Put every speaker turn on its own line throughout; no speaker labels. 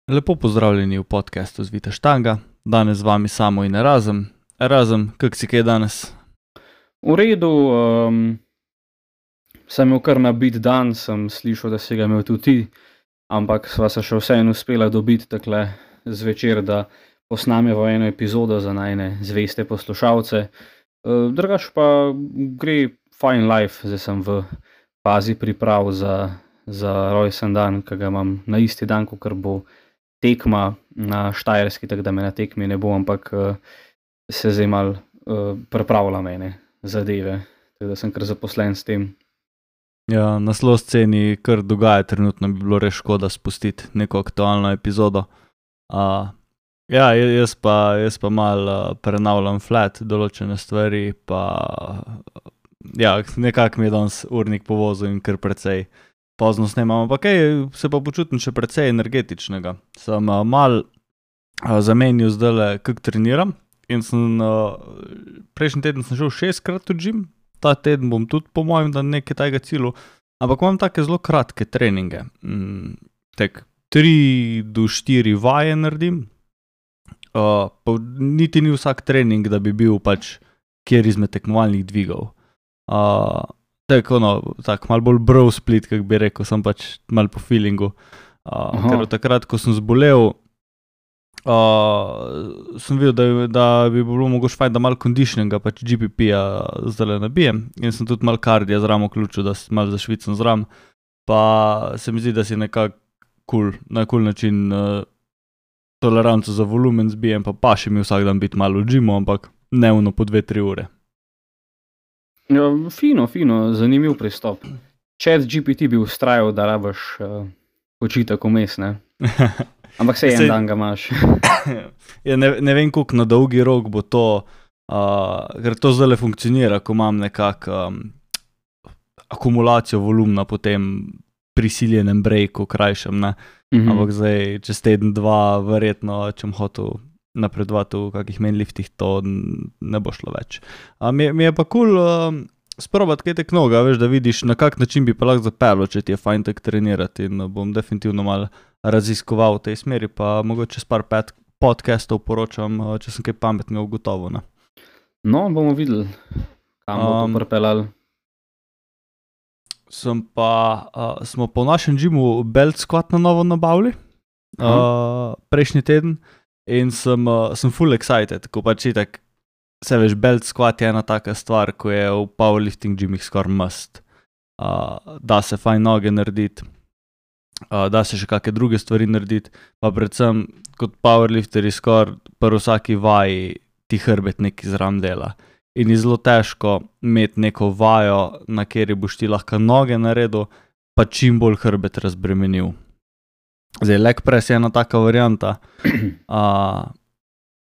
Lepo pozdravljeni v podcastu Zvita štanga. Danes z vami Samo in Erazem. Erazem, kak si kaj danes?
V redu, sem imel kar nabit dan, sem slišal, da si ga imel tudi ti, ampak sva se še vseeno uspela dobiti takle zvečer, da posnameva eno epizodo za najne zveste poslušalce. Drugač pa gre fine life, zdaj sem v fazi priprav za rojsten dan, ki ga imam na isti dan, kakor bo tekma na Štajerski, tako da me na tekmi ne bo, ampak se zdaj malo pripravljam ene zadeve, tako da sem kar zaposlen s tem.
Ja, na slow sceni kar dogaja trenutno, bi bilo res škoda spustiti neko aktualno epizodo. Ja, jaz pa malo prenavljam flat določene stvari, pa ja, nekako mi je danes urnik povozil in kar precej pozno snemam, ampak se pa počutim še precej energetičnega. Sem malo zamenil zdajle, kak treniram in prejšnji teden sem šel 6-krat v gym, ta teden bom tudi po mojem da nekaj tajega cilju, ampak imam take zelo kratke treninge. Tak 3 do 4 vaje naredim, pa niti ni vsak trening, da bi bil pač kjer izmed tekmovalnih dvigov. Tako malo bolj bro split, kak bi rekel, sem pač malo po feelingu. Ker od takrat, ko sem zbolel, sem videl, da bi bilo mogoče fajn, da malo conditioninga, pač GPP-ja zdajle nabijem in sem tudi malo kardija zraven vključil, da malo zašvicam zraven, pa se mi zdi, da si nekako na cool način toleranco za volumen zbijem, pa paše mi vsak dan biti malo v gymu, ampak dnevno po 2-3 ure.
Ja, fino, zanimiv pristop. ChatGPT bi ustrajal, da rabiš počitek vmes, ne? Ampak se en dan ga imaš.
Ja, ne vem, koliko na dolgi rok bo to, ker to zdajle funkcionira, ko imam nekako akumulacijo volumna po tem prisiljenem breaku krajšem, ne? Ampak zdaj, čez teden, dva, verjetno, če bom hotel napredovati v kakih mainliftih, to ne bo šlo več. Mi je pa cool sprobati kaj tek noga, veš, da vidiš, na kak način bi pa lahko zapeljal, če ti je fajn tak trenirati, in bom definitivno malo raziskoval v tej smeri, pa mogoče s par podcastov poročam, če sem kaj pametnega ugotovil, ne.
No, bomo videli, kam bo to pripeljalo.
Smo pa v našem gymu belt squat na novo nabavili, prejšnji teden, in sem full excited, ko pač itak, se veš, belt squat je ena taka stvar, ko je v powerlifting gymih skoraj must. Da se fajn noge narediti, da se še kakšne druge stvari narediti, pa predvsem kot powerlifteri skoraj pri vsaki vaji ti hrbet nekaj zraven dela. In je zelo težko imeti neko vajo, na kateri boš ti lahko noge naredil, pa čim bolj hrbet razbremenil. Zdaj, leg press je ena taka varianta.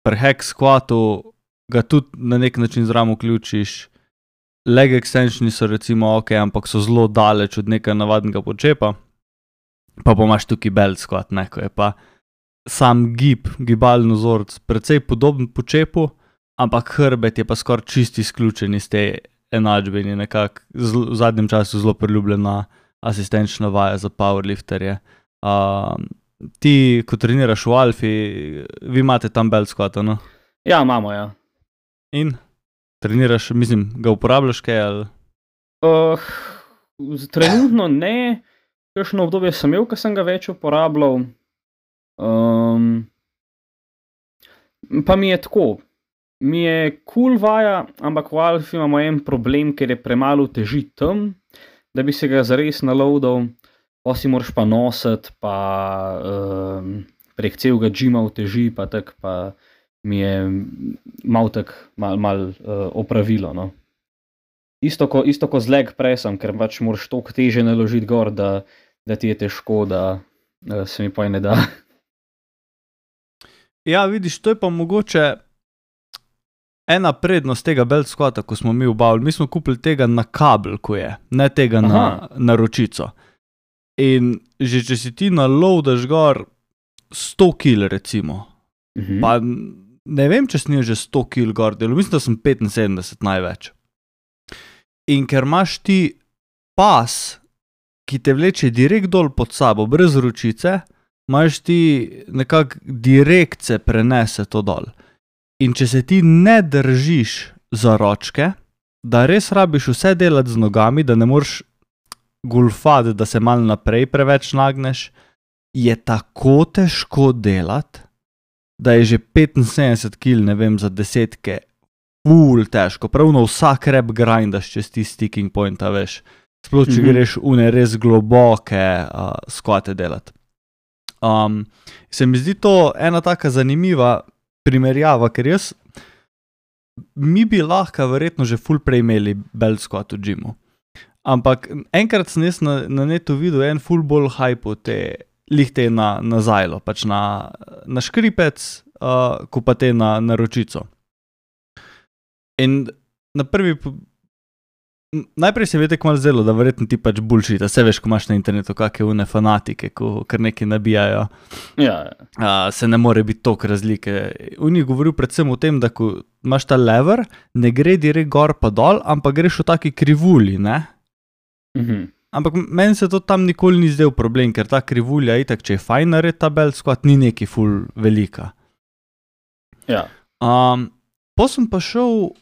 Pri hack squatu ga tudi na nek način zraven vključiš. Leg extensioni so recimo ok, ampak so zelo daleč od nekaj navadnega počepa. Pa imaš tukaj belt squat, ne, ko je pa sam gibalni vzorec precej podoben počepu, ampak hrbet je pa skoraj čisto izključen iz te enačbe in je nekako v zadnjem času zelo priljubljena asistenčna vaja za powerlifterje. Ti, ko treniraš v Alfi, vi imate tam belt squata, no?
Ja, imamo, ja.
In? Treniraš, mislim, ga uporabljaš kaj, ali?
Trenutno ne, kakšno obdobje sem imel, ko sem ga več uporabljal. Pa mi je tako, mi je cool vaja, ampak v Alfi imamo en problem, ker je premalo teži tam, da bi se ga zares naloadal, pa si moraš pa nositi, pa prek celega gyma v teži, pa tak, pa mi je malo tak, malo opravilo, no. Isto ko z leg pressom, ker pač moraš toliko teže naložiti gor, da ti je težko, da se mi poj ne da.
Ja, vidiš, to je pa mogoče ena prednost tega belt squata, ko smo mi obavili. Mi smo kupili tega na kabel, ko je, ne tega na ročico. In že če si ti naloadaš gor 100 kil recimo, pa ne vem, če sem že 100 kil gor delal, mislim, da sem 75 največ. In ker imaš ti pas, ki te vleče direkt dol pod sabo, brez ročice, imaš ti nekako direkt se prenese to dol. In če se ti ne držiš za ročke, da res rabiš vse delati z nogami, da ne moreš golfati, da se malo naprej preveč nagneš, je tako težko delati, da je že 75 kg, ne vem, za desetke, ful težko. Pravno vsak rep grindaš čez ti sticking pointa, veš. Sploh, če greš une res globoke skvate delati. Se mi zdi to ena taka zanimiva primerjava, ker mi bi lahko verjetno že ful prej imeli belt squat v gymu. Ampak enkrat sem jaz na netu videl en ful bolj hype lih te na zajlo, pač na škripec, ko pa te na ročico. In na najprej se mi je tako malo zdelo, da verjetno ti pač bullshit, a se veš, ko imaš na internetu kakve une fanatike, ko kar nekaj nabijajo, se ne more biti toliko razlike. On je govoril predvsem o tem, da ko imaš ta lever, ne gre direkt gor pa dol, ampak greš v taki krivulji, ne? Ampak meni se to tam nikoli ni zdel problem, ker ta krivulja itak, če je fajn narediti ta belt squat, ni neki ful velika. Po sem pa šel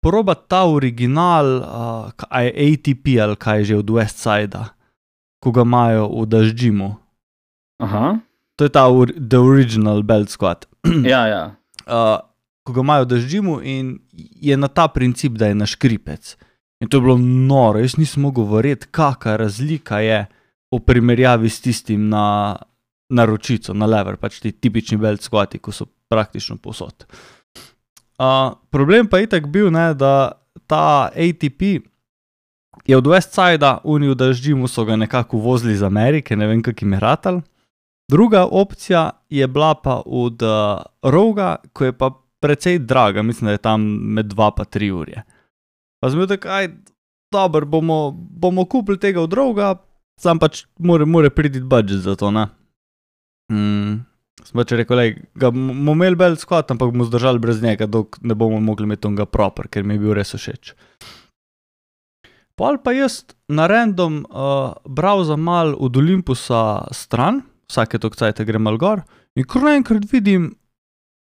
probat ta original, ATP ali kaj že od Westsida, ko ga imajo v Dash Gymu. To je ta the original belt squat. Ko ga imajo v Dash Gymu in je na ta princip, da je na škripec. In to je bilo noro, jaz nisem mogel verjeti, kakva razlika je v primerjavi s tistim na ročico, na lever, pač ti tipični belt squati, ko so praktično povsod. Problem pa je itak bil, ne, da ta ATP je od Westsida, oni v Dash Gymu so ga nekako uvozili iz Amerike, ne vem, kak jim je ratal. Druga opcija je bila pa od Roga, ko je pa precej draga, mislim, da je tam med 2 pa 3 urje. Pa sem bil tako, dober, bomo kupili tega od Roga, sam pač more priti budget za to, ne. Sem pač rekel, ga bomo imeli belt squat, ampak bomo zdržali brez njega, dok ne bomo mogli imeti onga proper, ker mi je bil res všeč. Pol pa jaz na random browsam mal od Olympusa stran, vsake toliko cajta grem mal gor, in kar naenkrat vidim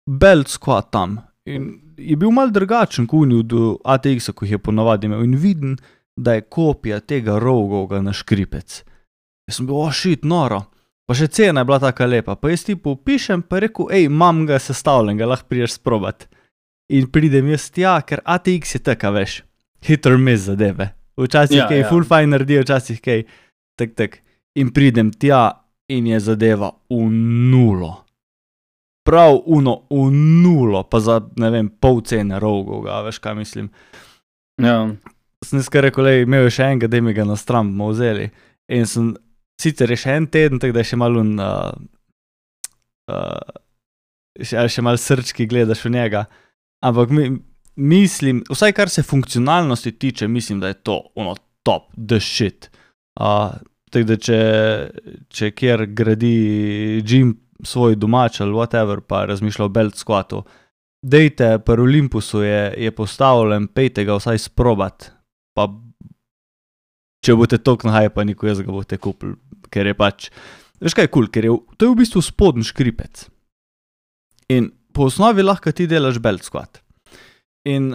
belt squat tam. In je bil mal drugačen, ko od ATX-a, ko jih je ponavadi imel, in vidim, da je kopija tega Rogovga na škripec. Jaz sem bil, shit, noro. Pa še cena je bila taka lepa, pa jaz tipu pišem, pa rekel, imam ga sestavljen, ga lahko prideš sprobat. In pridem jaz tja, ker ATX je taka, veš, hit or miss zadeve. Včasih kaj full fine naredi, včasih kaj tak. In pridem tja in je zadeva v nulo. Prav v nulo, pa za, ne vem, pol cene Rogovga, veš kaj mislim. Sem nekaj rekel, imel je še enega, da mi ga na stran bomo vzeli. In sem sicer je še en teden, tako da je še malo še malo srčki gledaš v njega, ampak mislim, vsaj kar se funkcionalnosti tiče, mislim, da je to top, the shit. Tako da če kjer gradi gym svoj domač ali whatever, pa razmišlja o belt squatu, dejte, pri Olympusu je postavljen, pejte ga vsaj sprobat, pa če boste toliko nahajpani, ko jaz ga boste kupili, ker je pač, veš kaj je cool, ker to je v bistvu spodnji škripec. In po osnovi lahko ti delaš belt squat. In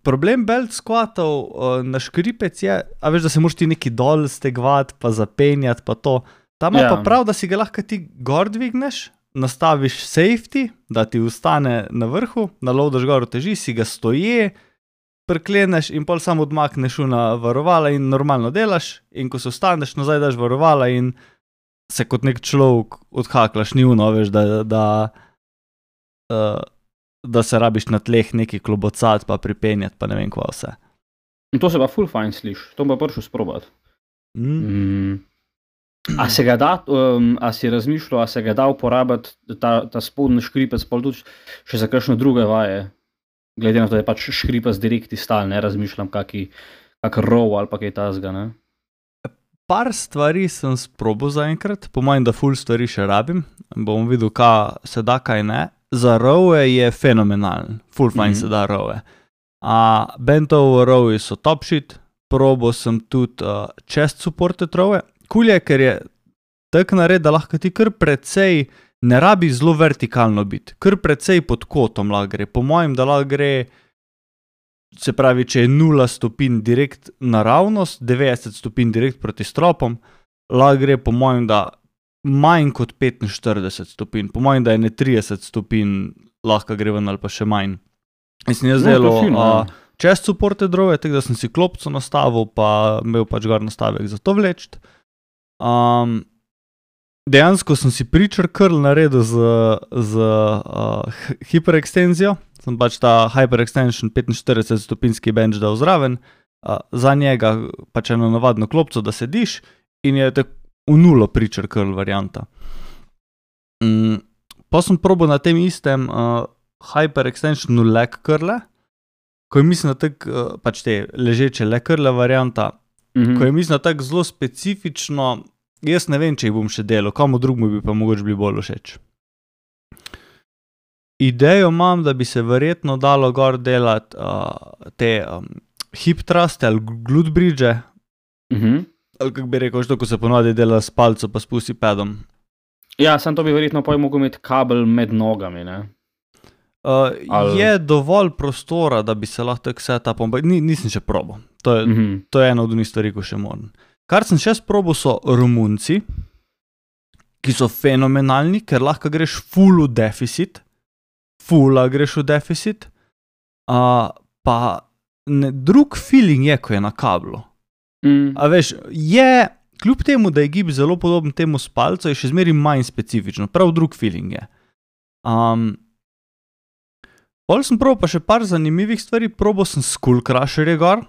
problem belt squatov na škripec je, a veš, da se moraš ti neki dol stegvati, pa zapenjati, pa to. Tam je pa prav, da si ga lahko ti gor dvigneš, nastaviš safety, da ti ostane na vrhu, naloadaš gor uteži, si ga stoje, prikleneš in pol samo odmakneš na varovala in normalno delaš, in ko se ostaneš, nazaj daš varovala in se kot nek človek odhaklaš, ni veš, da se rabiš na tleh neki klobocati pa pripenjati, pa ne vem kva vse.
In to se pa full fine sliš, to pa prišel sprobat. A se ga da, a si razmišljal, a se ga da uporabiti ta spodnji škripec, pa tudi še za kakšne druge vaje? Glede na to, da je pač škripec direkt stal, ne razmišljam, kak row ali pa kaj tazga, ne?
Par stvari sem sprobal zaenkrat, po mojem, da full stvari še rabim, bom videl, kaj se da, kaj ne. Za rowe je fenomenalen, full fine se da rowe. Bent over rowi so top shit, probal sem tudi chest supported rowe. Cool je, ker je tako naredi, da lahko ti kar precej, ne rabi zelo vertikalno biti, kar precej pod kotom lahko gre. Po mojem, da lahko gre, se pravi, če je 0 stopinj direkt naravnost, 90 stopinj direkt proti stropom, lahko gre po mojem, da manj kot 45 stopinj. Po mojem, da je ne 30 stopinj lahko gre ven ali pa še manj. Mislim, jaz delo čez supporte drove, tako da sem si klopco nastavil, pa imel pač gor nastavek za to vleči. Dejansko sem si preacher curl naredil z hiperekstenzijo. Sem pač ta hyperextension 45 stopinjski bench dal zraven, za njega pač eno navadno klopco, da sediš in je tako v 0 preacher curl varianta. Pa sem probal na tem istem hyperextensionu leg curle, ko je mislim, da tako pač te ležeče leg curle varianta, ko je mislim, da tako zelo specifično, jaz ne vem, če jih bom še delal, komu drugmu bi pa mogoče bili bolj všeč. Idejo imam, da bi se verjetno dalo gor delati te hip thruste ali glute bridge, ali kako bi rekel, ko se ponovadi dela s palco pa spusti pedom.
Ja, sem to bi verjetno mogel imeti kabel med nogami, ne?
Je dovolj prostora, da bi se lahko tako setupom, nisem še probal. To je ena od unih stvari, ko še moram. Kar sem še sprobal, so Romunci, ki so fenomenalni, ker lahko greš full v deficit, pa drug feeling je, ko je na kablu. A veš, kljub temu, da je gib zelo podoben temu s palco, je še zmeri manj specifično, prav drug feeling je. Pol sem probal pa še par zanimivih stvari, probal sem Skull Crusherje gor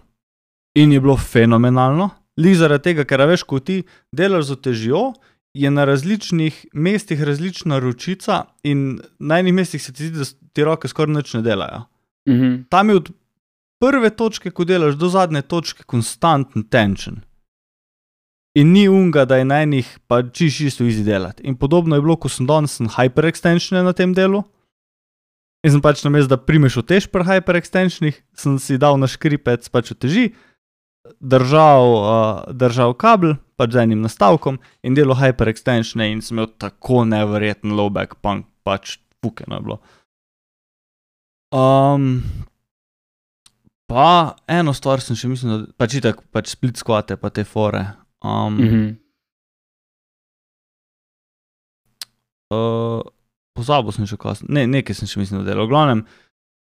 in je bilo fenomenalno. Lih zaradi tega, ker veš, ko ti delaš z otežjo, je na različnih mestih različna ročica in na enih mestih se ti zdi, da ti roke skoraj nič ne delajo. Tam je od prve točke, ko delaš, do zadnje točke konstanten tension. In ni unga, da je na enih pa čisto easy delati. In podobno je bilo, ko sem danes hyperextensione na tem delu. In sem pač namesto, da primeš otež pri hyperextensionih, sem si dal na škripec pač oteži, držal kabel, pač z enim nastavkom in delo hyperextensione in sem imel tako neverjeten low back punk, pač fukeno je bilo. Pa eno stvar sem še mislil, pač itak, pač split squate pa te fore. Pozabil sem še kaj, nekaj sem še mislil delal. V glavnem,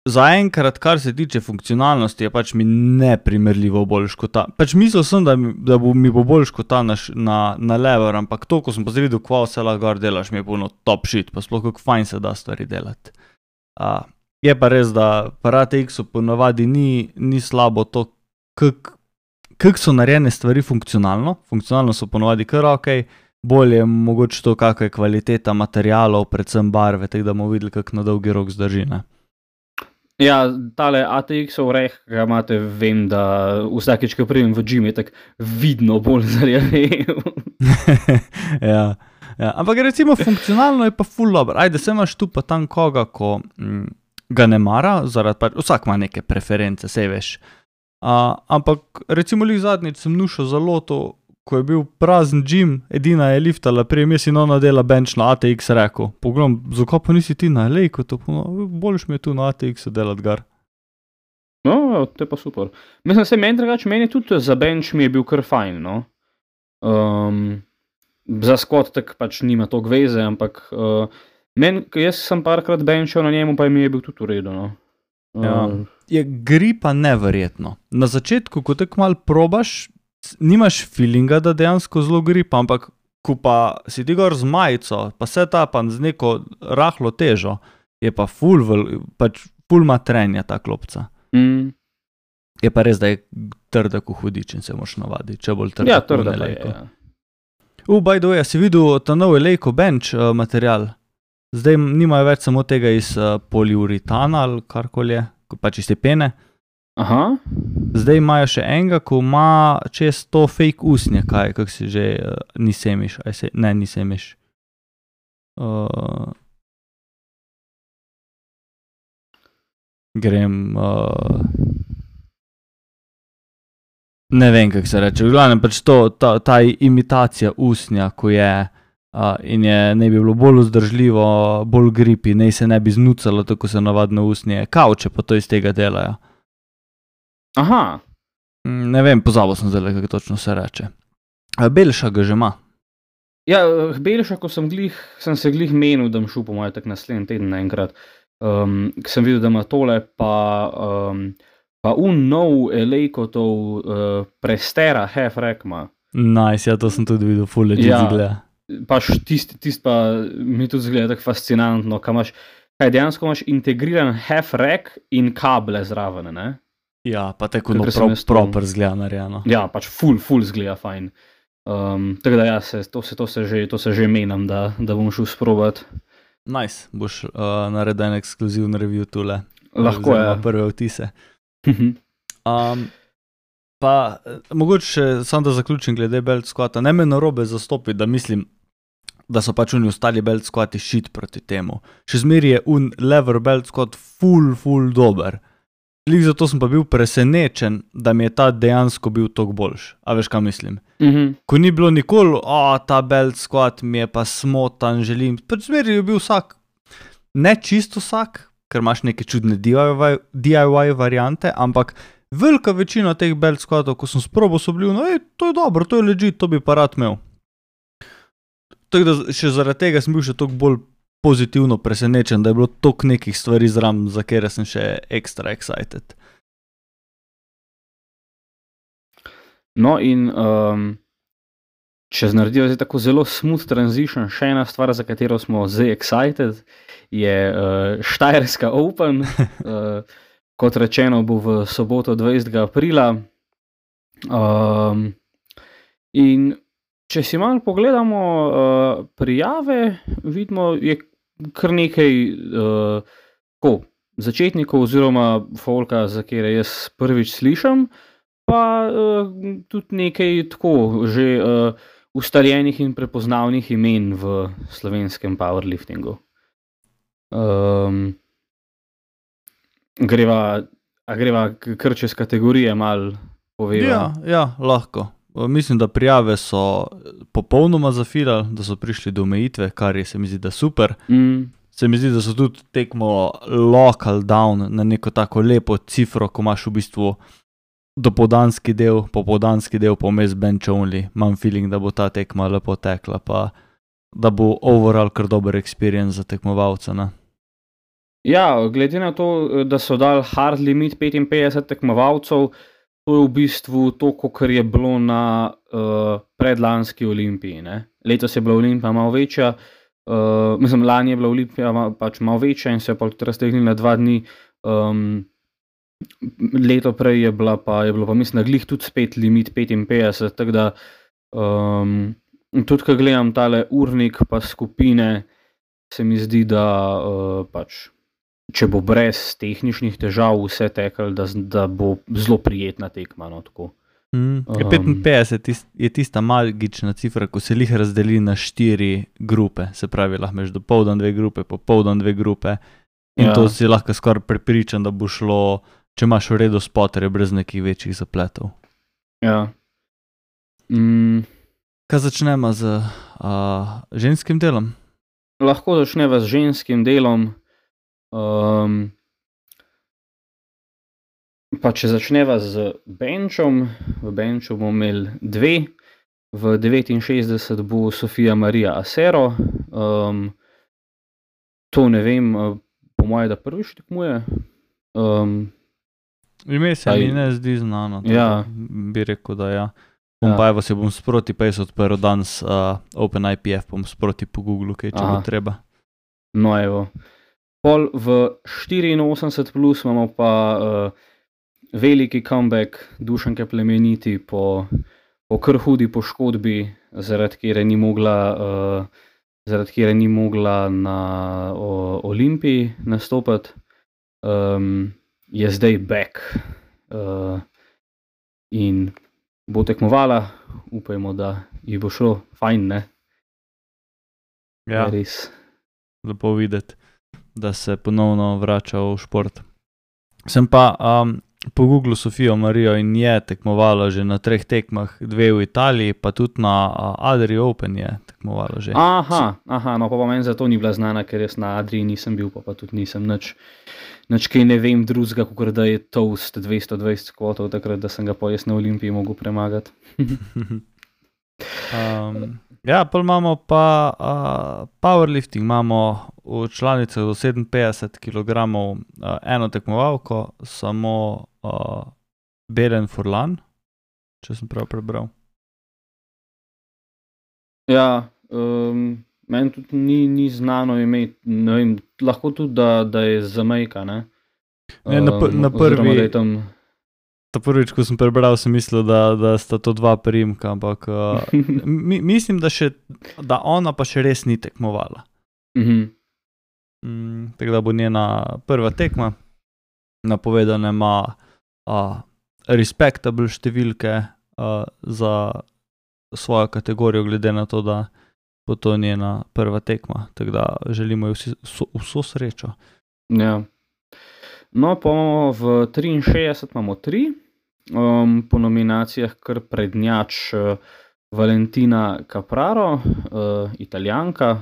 zaenkrat, kar se tiče funkcionalnosti, je pač mi neprimerljivo boljš kot ta. Pač mislil sem, da mi bo boljš kot ta na lever, ampak to, ko sem pa videl, kva vse lahko gor delaš, mi je puno top shit, pa sploh kako fajn se da stvari delati. Je pa res, da pri ATX-u ponavadi ni slabo to, kako so narejene stvari funkcionalno so ponavadi kar okej, bolje mogoče to, kakva je kvaliteta materialov, predvsem barve, tako da bomo videli, kako na dolgi rok zdrži, ne.
Ja, tale ATX-ov reh, ga imate, vem, da vsakič, ko pridem v gym, je tako vidno bolj zarjavel.
Ja, ampak recimo funkcionalno je pa ful dobro. Ajde, se imaš tu pa tam koga, ko ga ne mara, zaradi pač, vsak ima neke preference, sej veš. Ampak recimo zadnjič sem nušal za loto, ko je bil prazen gym, edina je liftala, jaz si ona dela bench na ATX rekel. Pogledam, zakaj pa nisi ti na lejko, boljš mi je tu na ATX-u delati gar.
No, to je pa super. Mislim, se meni tudi za bench mi je bil kar fajn, no. Za squat tak pač nima toliko veze, ampak jaz sem parkrat benchal na njemu, pa mi je bil tudi v redu, no.
Je gri pa neverjetno. Na začetku, ko tako malo probaš, nimaš feelinga, da dejansko zelo gripa, ampak ko pa si ti gor z majico, pa setupan z neko rahlo težo, je pa ful matrenja ta klopca. Je pa res, da je trda ko hudič in se moraš navaditi, če bolj trda ko lejko. By the way, si videl ta nov lejko bench material? Zdaj nimajo več samo tega iz poliuretana ali karkoli je, pač iz te pene.
Aha.
Zdaj imajo še enega, ko ima čez to fake usnje, kako si že, ni semiš, ni semiš. Ne vem, kako se reče, v glavnem pač ta imitacija usnja, ko je in ne bi bilo bolj vzdržljivo, bolj gripi, ne se ne bi znucalo, tako se navadno usnje. Kavče pa to iz tega delajo.
Aha.
Ne vem, pozabil sem zdaj, kako točno se reče. Belša ga že ima.
Ja, Belša, ko sem se glih menil, da bom šel po moje tak naslednji teden naenkrat. Sem videl, da ima tole, pa nov Elejkotov Prestera Half-Rack ima.
Nice, ja, to sem tudi videl, full legit zgleda.
Pač tisti pa mi tudi zgleda tako fascinantno, kaj dejansko imaš integriran Half-Rack in kable zraven, ne?
Ja, pa tako proper zgleda narejeno.
Ja, pač full zgleda fajn. Tako da ja, to se že menam, da bom šel sprobati.
Nice, boš naredil ekskluzivni review tule.
Lahko je.
Prve vtise. Pa mogoče samo da zaključim glede belt squata. Ne me narobe zastopiti, da mislim, da so pač ostali belt squati shit proti temu. Še zmeri je lever belt squat full dober. Lik zato sem pa bil presenečen, da mi je ta dejansko bil toliko boljš. A veš, kaj mislim? Ko ni bilo nikoli, ta belt squat mi je pa smotan, želim. Pač zmeri je bil vsak, ne čisto vsak, ker imaš neke čudne DIY variante, ampak velika večina teh belt squatov, ko sem sprobal, so bili, to je dobro, to je legit, to bi pa rad imel. Tako da še zaradi tega sem bil še toliko bolj pozitivno presenečen, da je bilo toliko nekih stvari zraven, za kere sem še ekstra excited.
No in če naredijo zdaj tako zelo smooth transition, še ena stvar, za katero smo zdaj excited, je Štajerska Open. Kot rečeno, bo v soboto 20. aprila. In če si malo pogledamo prijave, vidimo, je kar nekaj začetnikov oziroma folka, za kere jaz prvič slišam, pa tudi nekaj tako že ustaljenih in prepoznavnih imen v slovenskem powerliftingu. Greva kar čez kategorije malo poveva?
Ja, lahko. Mislim, da prijave so popolnoma zafilali, da so prišli do omejitve, kar je se mi zdi, da super. Se mi zdi, da so tudi tekmo local down na neko tako lepo cifro, ko imaš v bistvu dopoldanski del, popoldanski del, pomes bench only. Imam feeling, da bo ta tekma lepo tekla, pa da bo overall kar dober experience za tekmovalca, ne?
Ja, glede na to, da so dali hard limit 55 tekmovalcev, to je v bistvu to, kar je bilo na predlanski Olimpiji, ne? Letos je bila Olimpija malo večja, lani je bila Olimpija pač malo večja in se je pa tudi raztegnila 2 dni. Leto prej je bilo pa mislim, da glih tudi spet limit 55, tako da tudi, ko gledam tale urnik pa skupine, se mi zdi, da pač če bo brez tehničnih težav vse tekel, da bo zelo prijetna tekma, no, tako.
55 je tista magična cifra, ko se lih razdeli na 4 grupe, se pravi, lahko imaš dopoldan 2 grupe, popoldan 2 grupe in to si lahko skoraj prepričan, da bo šlo, če imaš v redu spoterje, brez nekih večjih zapletov.
Ja.
Kaj začnemo z ženskim delom?
Lahko začneva z ženskim delom. Pa če začneva z benčom, v benču bomo imeli 2, v 69 bo Sofija Marija Asero, to ne vem, po moje, da prvič tekmuje.
Ime se mi ne zdi znano,
ja.
Bi rekel, da ja. Pa evo se bom sproti pa jaz odprl danes OpenIPF, bom sproti po Googlu, kaj če bo treba.
No evo. Pol v 84 plus imamo pa veliki comeback Dušanke Plemeniti po kar hudi poškodbi, zaradi kjer ni mogla na Olimpiji nastopati. Je zdaj back in bo tekmovala, upajmo, da ji bo šlo fajn, ne?
Ja,
res.
Lepo videti, da se ponovno vrača v šport. Sem pa pogooglil Sofijo Marijo in je tekmovala že na 3 tekmah, 2 v Italiji, pa tudi na Adria Open je tekmovala že.
Aha, no pa meni zato ni bila znana, ker jaz na Adriji nisem bil, pa tudi nisem nič kaj ne vem drugega, kot da je Toast 220 skvotov, takrat, da sem ga pa jaz na Olimpiji mogel premagati.
Ja, pa imamo pa powerlifting, imamo v članicah do 57 kg eno tekmovalko, samo Belen Furlan, če sem prav prebral.
Ja, meni tudi ni znano ime, ne vem, lahko tudi, da je Zamejka, ne?
Na prvi... Ta prvič, ko sem prebral, sem mislil, da sta to 2 priimka, ampak mislim, da ona pa še res ni tekmovala. Tako da bo njena prva tekma. Napovedane ima respectable številke za svojo kategorijo, glede na to, da bo to njena prva tekma. Tako da želimo ji vso srečo.
Ja. No, pa v 63 imamo 3, po nominacijah kar prednjač Valentina Capraro, Italijanka,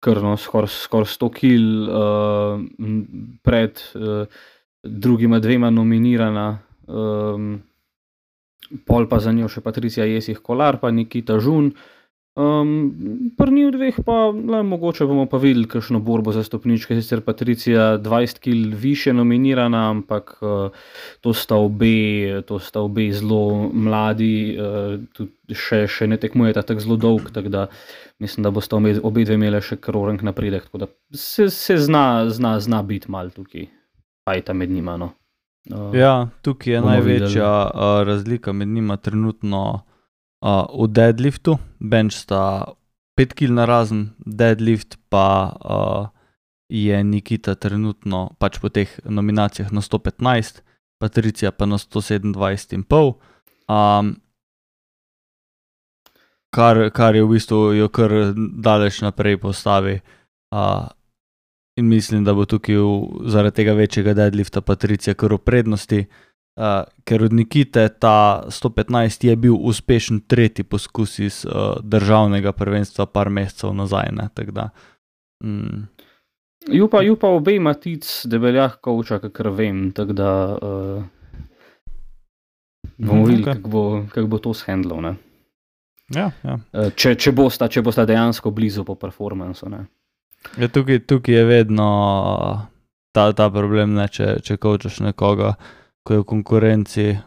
kar skoraj 100 kil pred drugima 2 nominirana, pol pa za njo še Patricia Jesih Kolar pa Nikita Žun. Pri njih 2 pa mogoče bomo pa videli kakšno borbo za stopničke, sicer Patricia 20 kil više nominirana, ampak to sta obe zelo mladi, tudi še ne tekmujeta tako zelo dolg, tako da mislim, da bosta obe dve imele še kar orenk napredek, tako da se zna biti malo tukaj fajta med njima, no.
Ja, tukaj je največja razlika med njima trenutno v deadliftu. Bench sta 5 kil narazen, deadlift pa je Nikita trenutno pač po teh nominacijah na 115, Patricia pa na 127,5, kar je v bistvu jo kar daleč naprej postavi. In mislim, da bo tukaj zaradi tega večjega deadlifta Patricia kar v prednosti, ker od Nikite ta 115 je bil uspešen 3. poskus iz državnega prvenstva par mesecev nazaj, ne, tako da.
Ju pa obe Matic Debeljak coacha, kakor vem, tako da bomo videli, kako bo to shendlal, ne.
Ja.
Če bosta dejansko blizu po performansu, ne.
Ja, tukaj je vedno ta problem, ne, če coachaš nekoga, ko je v konkurenci,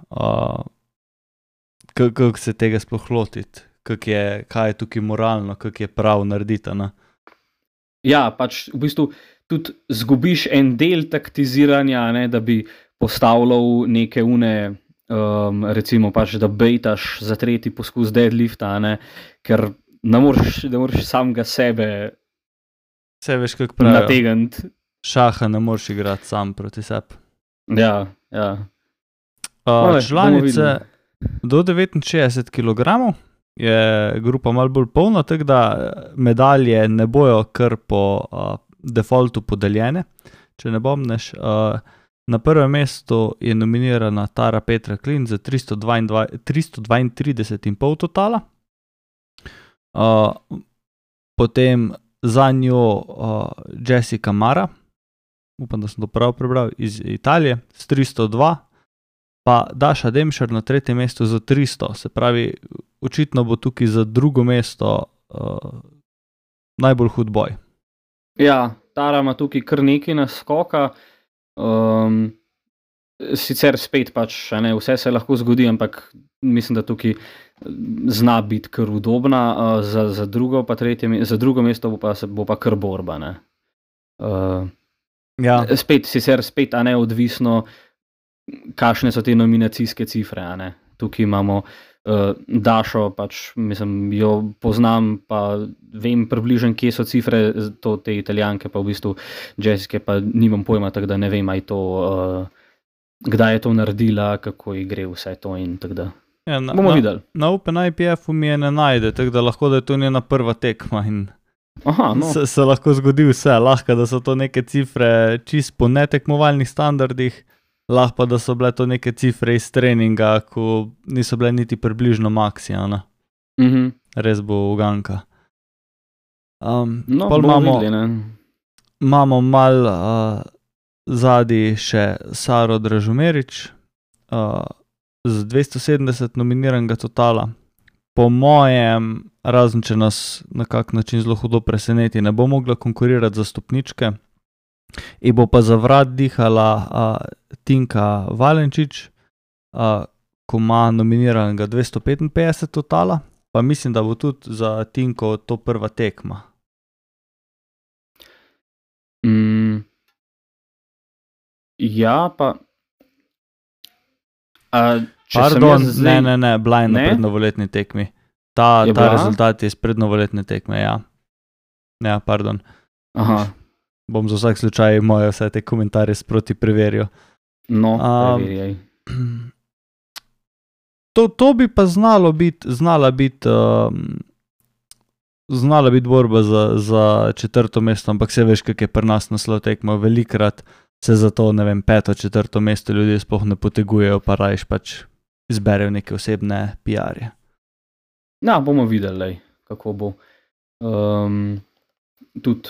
kako se tega sploh lotiti, kaj je tukaj moralno, kako je prav narediti, ne?
Ja, pač v bistvu tudi zgubiš en del taktiziranja, ne, da bi postavljal neke recimo pač, da bejtaš za 3. poskus deadlifta, ne, ker ne moreš samega sebe
veš, kako pravijo,
nategniti.
Šaha ne moreš igrati sam proti sebi.
Ja.
Članice do 69 kg je grupa malo bolj polna, tako da medalje ne bojo kar po defaultu podeljene, če ne bomneš. Na prvem mestu je nominirana Tara Petra Klin za 332,5 totala. Potem za njo Jessica Mara, upam, da sem to prav prebral, iz Italije s 302, pa Daša Demšar na 3. mestu za 300, se pravi, očitno bo tukaj za 2. mesto najbolj hud boj.
Ja, Tara ima tukaj kar nekaj naskoka, sicer spet pač, ne, vse se lahko zgodi, ampak mislim, da tukaj zna biti kar udobna, za drugo pa za drugo mesto bo pa kar borba, ne.
Ja.
Spet, a ne, odvisno, kakšne so te nominacijske cifre, a ne. Tukaj imamo Dašo, pač, mislim, jo poznam, pa vem približno, kje so cifre te Italijanke, pa v bistvu Jessica pa nimam pojma, tako da ne vem, kdaj je to naredila, kako ji gre vse to in tako da.
Ja,
bomo videli.
Na Open IPF-u mi je ne najde, tako da lahko, da je to njena prva tekma in se lahko zgodi vse. Lahko, da so to neke cifre čist po netekmovalnih standardih, lahko pa, da so bile to neke cifre iz treninga, ko niso bile niti približno maksijana. Res bo uganka.
No,
pol
bomo videli, ne.
imamo malo zadnji še Saro Dražomerič z 270 nominiranega totala. Po mojem, razen če nas na kak način zelo hudo preseneti, ne bo mogla konkurirati za stopničke. In bo pa za vrat dihala Tinka Valenčič, ko ima nominiranega 255 totala, pa mislim, da bo tudi za Tinko to prva tekma.
Ja, pa...
Pardon, ne, bila je na prednovoletni tekmi. Ta rezultat je iz prednovoletne tekme, ja. Ja, pardon.
Aha.
Bom za vsak slučaj moje vse te komentarje sproti preveril.
No, preverjaj.
To bi pa znala biti borba za četrto mesto, ampak se veš, kak je pri nas naslov tekma. Velikrat se za to, ne vem, peto, četrto mesto ljudje sploh ne potegujejo, pa rajš pač izberejo neke osebne PR-je.
Ja, bomo videli, kako bo. Tudi,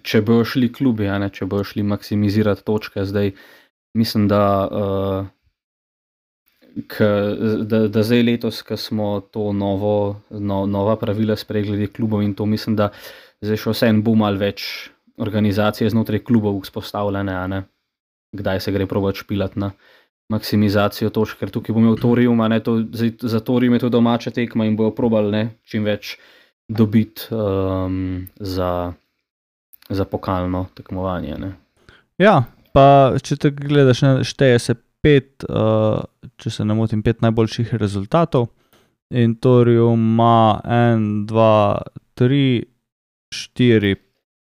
če bojo šli klubi, če bojo šli maksimizirati točke, zdaj mislim, da zdaj letos, ko smo to nova pravila sprejeli glede klubov in to mislim, da zdaj še vseeno bo malo več organizacije znotraj klubov vzpostavljene, kdaj se gre probati špilati na maksimizacijo točk, ker tukaj bo imel Torium, za Torium je to domača tekma in bojo probali čim več dobiti za pokalno tekmovanje.
Ja, pa če te gledaš, šteje se 5, če se ne motim, 5 najboljših rezultatov in Torium ima 1, 2, 3, 4,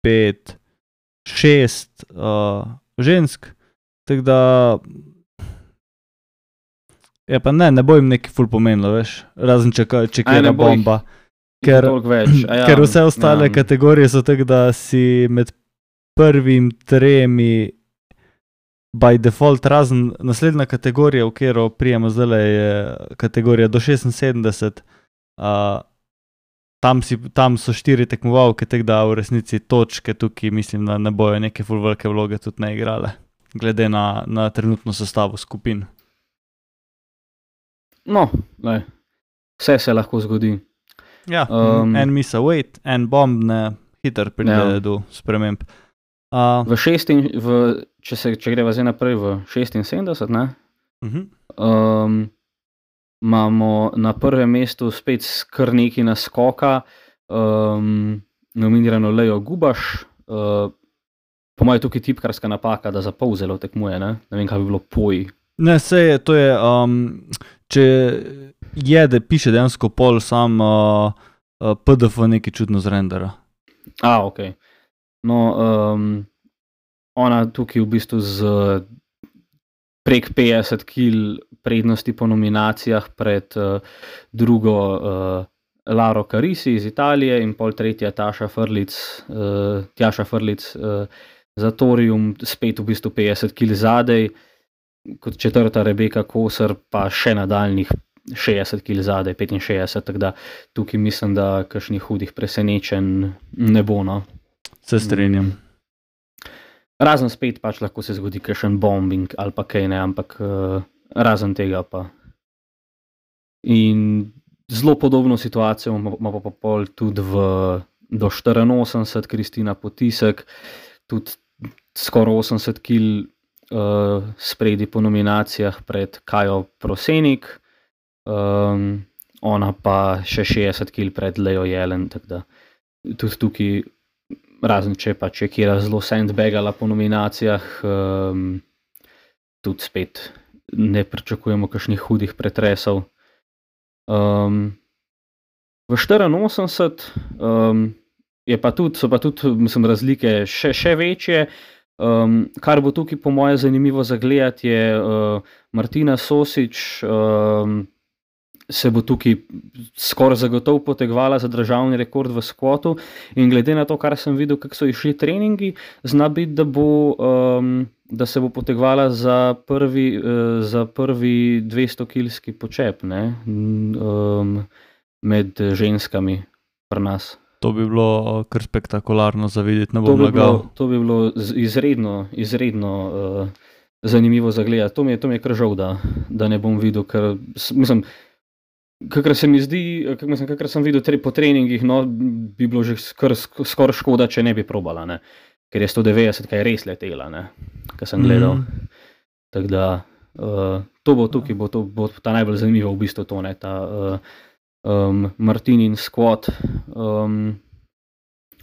5, 6 žensk, tako da ja pa ne bo jim neki ful pomenilo, veš, razen če kjera bomba, ker vse ostale kategorije so tako, da si med prvim tremi by default, razen naslednja kategorija, v katero prijemo zdaj, je kategorija do 76, tam so 4 tekmovalke, tako da v resnici točke tukaj mislim, da ne bojo neke ful velike vloge tudi ne igrale, glede na trenutno sestavo skupin.
No, vse se lahko zgodi.
Ja, en misa wait, en bomb ne hiter pride do sprememb.
Če greva zdaj naprej v 76, ne? Imamo na prvem mestu spet kar nekaj naskoka, nominirano Lejo Gubaš, po mojem tukaj tipkarska napaka, da za pol zelo tekmuje, ne vem, kaj bi bilo poji.
Ne, to je, če piše dejansko pol sam PDF nekaj čudno zrendera.
Ok. No, ona tukaj v bistvu z prek 50 kil prednosti po nominacijah pred drugo Laro Carisi iz Italije in pol tretja Tjaša Frlic za Torium, spet v bistvu 50 kil zadej, kot četrta Rebeka Kosar pa še nadaljnih 60 kil zadej, 65, tako da tukaj mislim, da kakšnih hudih presenečenj ne bo, no.
Se strinjam.
Razen spet pač lahko se zgodi kakšen bombing ali pa kaj ne, ampak razen tega pa. In zelo podobno situacijo ima pa pol tudi do 84 Kristina Potisek, tudi skoraj 80 kil spredi po nominacijah pred Kajo Prosenik, ona pa še 60 kil pred Lejo Jelen, tako da tudi tukaj, razen če pa če kjera zelo sandbagala po nominacijah, tudi spet ne pričakujemo kakšnih hudih pretresov. V 84 so pa tudi mislim, razlike še večje. Kar bo tukaj po moje zanimivo za gledati je Martina Sosič, se bo tukaj skoraj zagotovo potegovala za državni rekord v skvotu in glede na to, kar sem videl, kako so išli treningi, zna biti, da bo da se bo potegovala za prvi 200-kilski počep, ne? Med ženskami pri nas.
To bi bilo kar spektakularno za videti, ne bom lagal.
To bi bilo izredno zanimivo za gledati. To mi je kar žal, da ne bom videl, ker mislim, kakor se mi zdi, kakor sem videl po treningih, no, bi bilo že skoraj škoda, če ne bi probala, ne? Ker je 190, kaj je res letela, ne? Kar sem gledal. Tako da, to bo tukaj, bo ta najbolj zanimivo v bistvu to, ne, ta Martinin squat.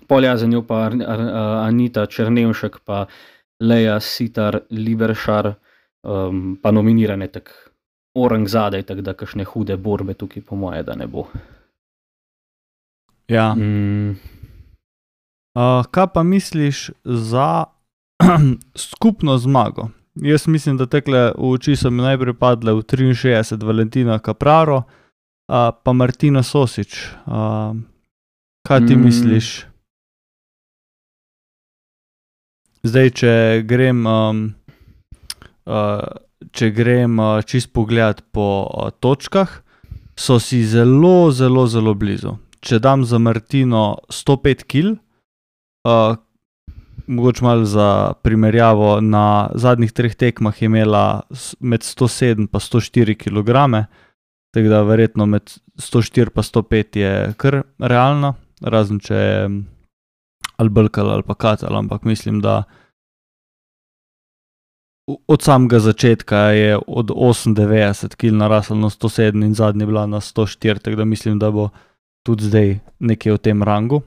Polja za njo pa Anita Černevšek, pa Leja Sitar Liberšar, pa nominirane tak orang zadaj, tako da kakšne hude borbe tukaj po moje, da ne bo.
Ja. Kaj pa misliš za skupno zmago? Jaz mislim, da tekle v oči so mi najprej padle v 63 Valentina Capraro, pa Martina Sosič. Kaj ti misliš? Zdaj, če grem čist pogledat po točkah, so si zelo, zelo, zelo blizu. Če dam za Martino 105 kil, mogoče malo za primerjavo, na zadnjih 3 tekmah je imela med 107 pa 104 kilograme, tako da verjetno med 104 pa 105 je kar realna, razen če je ali Balkal ali pa Katal, ampak mislim, da od samega začetka je od 98 kil narasla na 107 in zadnji bila na 104, tako da mislim, da bo tudi zdaj nekaj v tem rangu,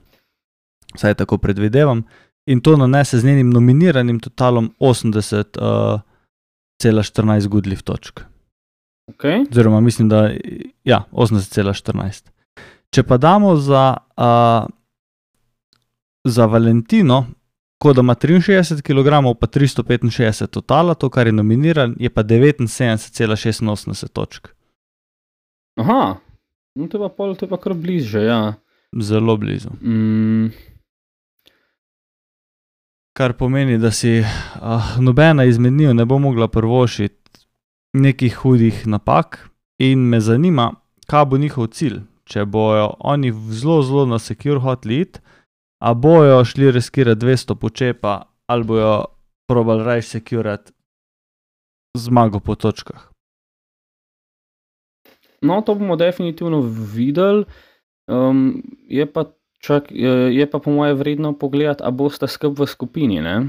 saj tako predvidevam, in to nanese z njenim nominiranim totalom 80,14 good lift točk.
Okay.
Oziroma mislim, da ja, 80,14. Če pa damo za Valentino, ko da ima 63 kg pa 365 totala, to kar je nominiran, je pa 79,86 točk.
Aha, no to je pa kar blizu že, ja.
Zelo blizu. Kar pomeni, da si nobena izmed njih ne bo mogla privoščiti nekih hudih napak in me zanima, kaj bo njihov cilj. Če bojo oni zelo, zelo na secure hoteli iti, a bojo šli riskirati 200 počepa ali bojo probali rajš securati zmago po točkah.
No, to bomo definitivno videli. Je pa po moje vredno pogledati, a bosta skup v skupini, ne?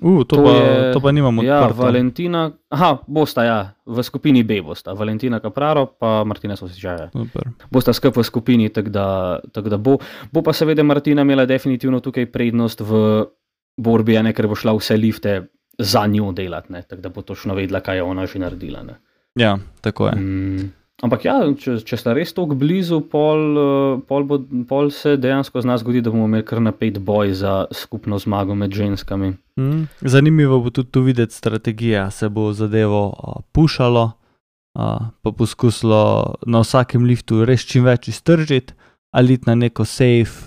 To pa nimam odprto.
Ja, Valentina, bosta, ja, v skupini B bosta. Valentina Capraro pa Martina Sosičaja. Bosta skup v skupini, tako da bo. Bo pa seveda Martina imela definitivno tukaj prednost v borbi, ne, ker bo šla vse lifte za njo delati, ne, tako da bo točno vedela, kaj je ona že naredila, ne.
Ja, tako je.
Ampak ja, če sta res toliko blizu, pol se dejansko zna zgodi, da bomo imeli kar napet boj za skupno zmago med ženskami.
Zanimivo bo tudi tu videti strategija, se bo zadevo pušalo, pa poskusilo na vsakem liftu res čim več iztržiti, ali iti na neko safe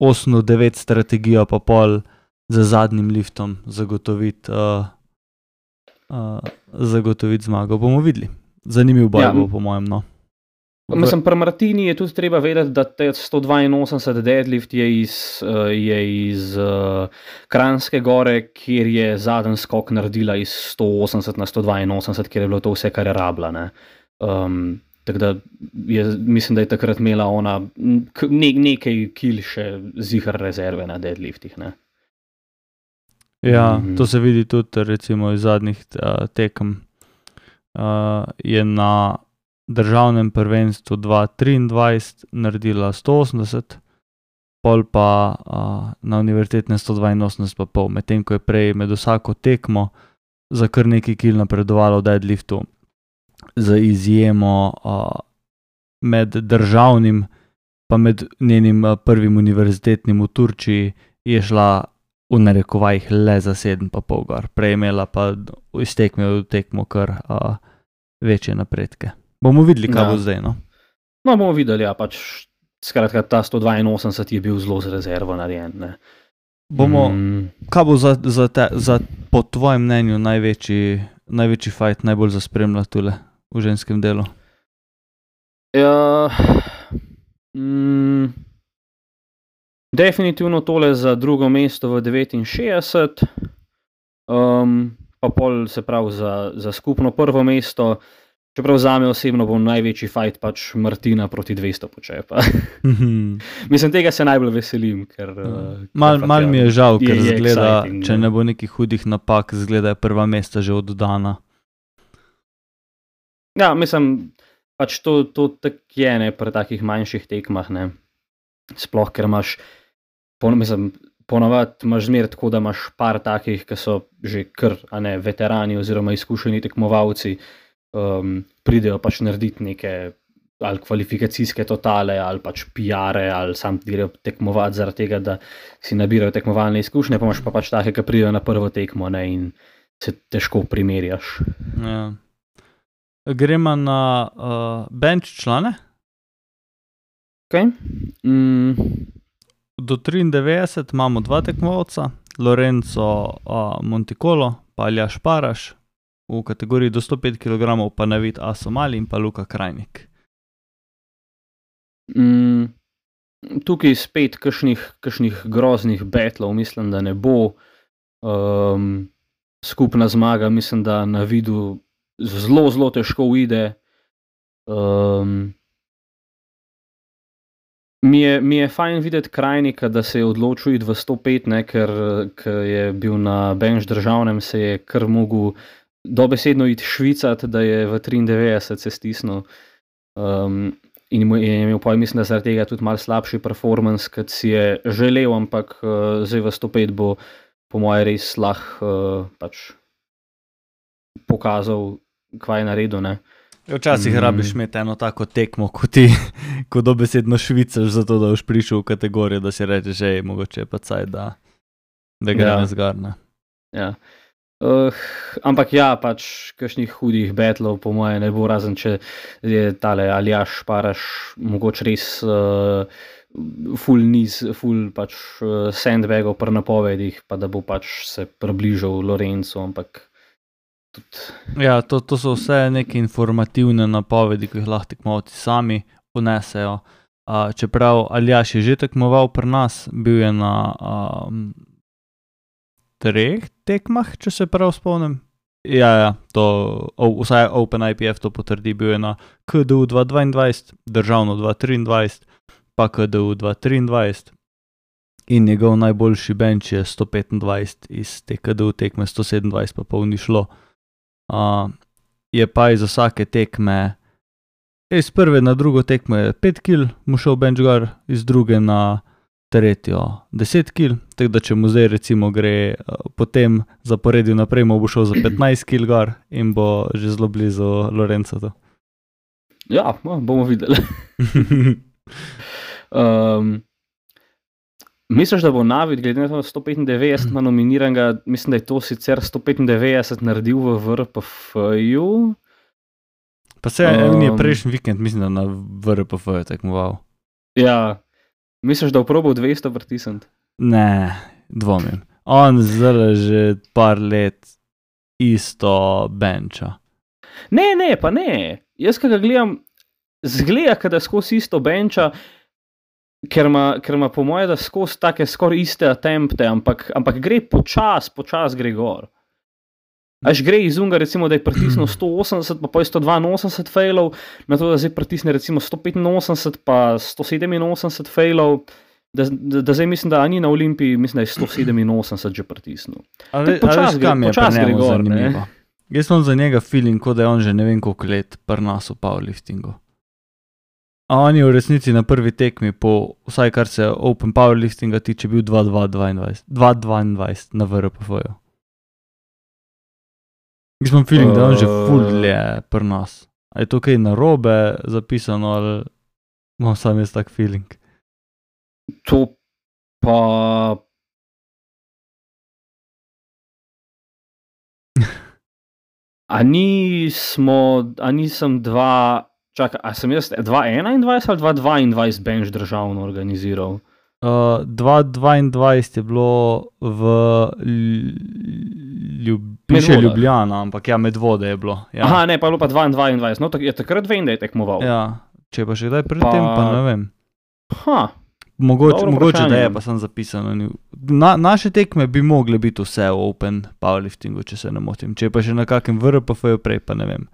8-9 strategijo, pa pol za zadnjim liftom zagotoviti zmago. Bomo videli. Zanimiv boj bo, po mojem, no.
Mislim, pri Martini je tudi treba vedeti, da 182 deadlift je iz Kranjske gore, kjer je zadnji skok naredila iz 180 na 182, kjer je bilo to vse, kar je rabila, ne. Tako da mislim, da je takrat imela ona nekaj kil še zihar rezerve na deadliftih, ne.
Ja, to se vidi tudi recimo iz zadnjih tekem. Je na državnem prvenstvu 2023 naredila 180, pol pa na univerzitetnem 182 pa pol, medtem ko je prej med vsako tekmo za kar nekaj kil napredovala v deadliftu, za izjemo med državnim pa med njenim prvim univerzitetnim v Turčiji je šla v narekovajih le za 7,5 gor. Prej imela pa iz tekme v tekmo kar večje napredke. Bomo videli, kaj bo zdaj, no?
No, bomo videli, ja, pač skratka, ta 182 je bil zelo z rezervo narejen. Ne.
Kaj bo za po tvojem mnenju največji fight, najbolj za spremljati tule v ženskem delu?
Ja, definitivno tole za drugo mesto v 69, pa pol se pravi za skupno prvo mesto, čeprav zame osebno bo največji fight pač Martina proti 200 počepa. Mislim, tega se najbolj veselim, ker...
Mal mi je žal, ker zgleda, če ne bo nekih hudih napak, zgleda je prva mesta že oddana.
Ja, mislim, pač to tak je, ne, pri takih manjših tekmah, ne. Sploh, ker imaš, ponavadi imaš zmer tako, da imaš par takih, ki so že kar, a ne, veterani oziroma izkušeni tekmovalci, pridejo pač narediti neke ali kvalifikacijske totale, ali pač PR-e, ali sam grejo tekmovati zaradi tega, da si nabirajo tekmovalne izkušnje, pa imaš pa pač take, ki pridejo na prvo tekmo, ne, in se težko primerjaš.
Ja. Gremo na bench člane.
Okay.
Do 93 imamo dva tekmovalca, Lorenzo Monticolo pa Aljaž Paraš, v kategoriji do 105 kg pa Navid Asomali in pa Luka Krajnik.
Tukaj spet kakšnih groznih betlov mislim, da ne bo. Skupna zmaga mislim, da Navidu zelo težko uide. Mi je fajn videti Krajnika, da se je odločil iti v 105, ne, ker je bil na bench državnem, se je kar mogel dobesedno iti švicati, da je v 93 se stisnil. In je imel pa, mislim, da zaradi tega tudi malo slabši performance, kot si je želel, ampak zdaj v 105 bo po moje res pač pokazal, kaj je naredil, ne.
Včasih rabiš imeti eno tako tekmo, ko dobesedno švicaš za to, da boš prišel v kategorijo, da si rečeš, že mogoče je pa caj, da gre nezgarne.
Ja. Ampak ja, pač kakšnih hudih betlov po moje ne bo, razen če je tale Aljaž Paraš mogoče res full pač sandbagov pri napovedih, pa da bo pač se približal Lorencu, ampak tudi...
Ja, to so vse neke informativne napovedi, ki jih lahko tekmovalci sami unesejo. Čeprav Aljaž je že tekmoval pri nas, bil je na 3 tekmah, če se prav spomnim. Ja, to vsaj Open IPF to potrdi, bil je na KDU 2022, državno 2023, pa KDU 2023 in njegov najboljši bench je 125 iz te KDU tekme, 127 pa pol ni šlo. Je pa iz vsake tekme, iz prve na drugo tekmo je 5 kil mu šel bench gor, iz druge na tretjo 10 kil, tako da če mu zdaj recimo gre potem zaporedil naprej, mu bo šel za 15 kil gor in bo že zelo blizu Lorenzo.
Ja, bomo videli. Misliš, da bo Navid glede na to 195 nominiranega, mislim, da je to sicer 195 naredil v VRPF-ju?
Pa se je prejšnji vikend, mislim, da na VRPF-ju tekmoval.
Ja. Misliš, da bo probal 200 pritisniti?
Ne, dvomim. On zdaj že par let isto benča.
Ne, pa ne. Jaz, ko ga gledam, zgleda, da skozi isto benča, ker ima po moje, da skozi take skoraj iste attempte, ampak gre počas gre gor. Až gre iz unga, recimo, da je pritisnil 180, pa je 182 failov, na to, da zdaj pritisne recimo 185, pa 187 failov, da zdaj mislim, da ni na Olimpiji, mislim, da je 187 že pritisnil.
Počas gre gor, ne? Jaz sem za njega feeling, kot da je on že ne vem koliko let pri nas v powerliftingu. A on je v resnici na prvi tekmi, vsaj kar se Open powerliftinga tiče, bil 2.22 na VRPF-ju. Jaz imam feeling, da on že ful dlje pri nas. A je to kaj narobe zapisano, ali imam sam jaz tak feeling?
To pa... A nisem 2 Čakaj, a sem jaz 2021 ali 2022 bench državno organiziral?
2022 je bilo v piše Ljubljana, ampak ja, Medvode je bilo. Ja.
Aha, ne, pa je bilo pa 2022. No, takrat vem, da je tekmoval.
Ja, če pa še kdaj pred tem, pa ne vem.
Ha.
Mogoče da je, pa sem zapisano. Naše tekme bi mogle biti vse v open powerliftingu, če se ne motim. Če pa še na kakem VRPF-ju prej, pa ne vem.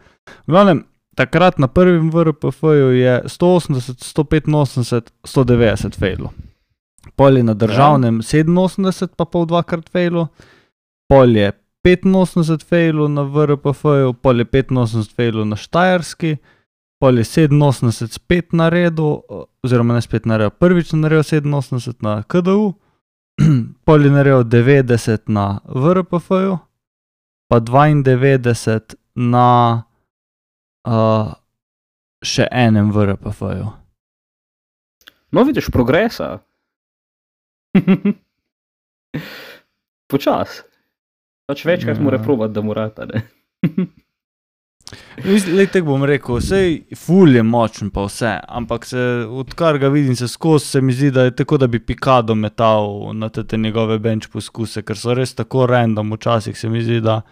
V glavnem, takrat na prvem VRPF-ju je 180, 185, 190 fejlo. Pol je na državnem 87 pa pol dvakrat fejlo. Pol je 85 fejlo na VRPF-ju, pol je 85 fejlo na Štajerski. Pol je 87 spet naredil, oziroma ne spet naredil, prvič naredil 87 na KDU, pol je naredil 90 na VRPF-ju, pa 92 na še enem VRPF-ju.
No, vidiš progresa. Počas. Pač večkrat mora probati, da mora ta, ne.
Tako bom rekel, sej ful je močen pa vse, ampak odkar ga vidim se skozi, se mi zdi, da je tako, da bi Picado metal na te njegove bench poskuse, ker so res tako random včasih, se mi zdi, da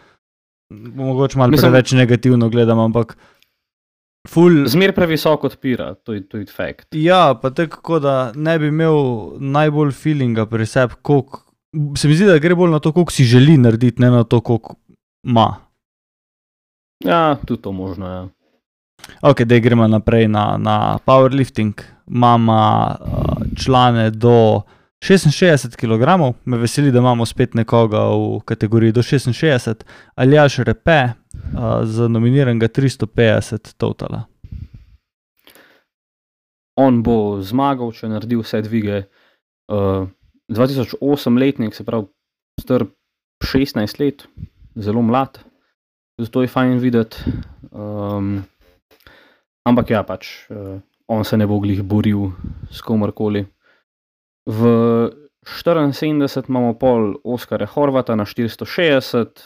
mogoče malo preveč negativno gledam, ampak ful...
Zmer previsoko odpira, to je fact.
Ja, pa tako, da ne bi imel najbolj feelinga pri sebi, koliko... Se mi zdi, da gre bolj na to, koliko si želi narediti, ne na to, koliko ima.
Ja, tudi to možno, ja.
Ok, da gremo naprej na powerlifting. Imamo člane do 66 kg, me veseli, da imamo spet nekoga v kategoriji do 66, Aljaž Repe za nominiranega 350 totala.
On bo zmagal, če naredi vse dvige. 2008 letnik, se pravi star 16 let, zelo mlad. Zato je fajn videti, ampak ja, pač, on se ne bo glih boril s komorkoli. V 74 imamo pol Oskara Horvata na 460,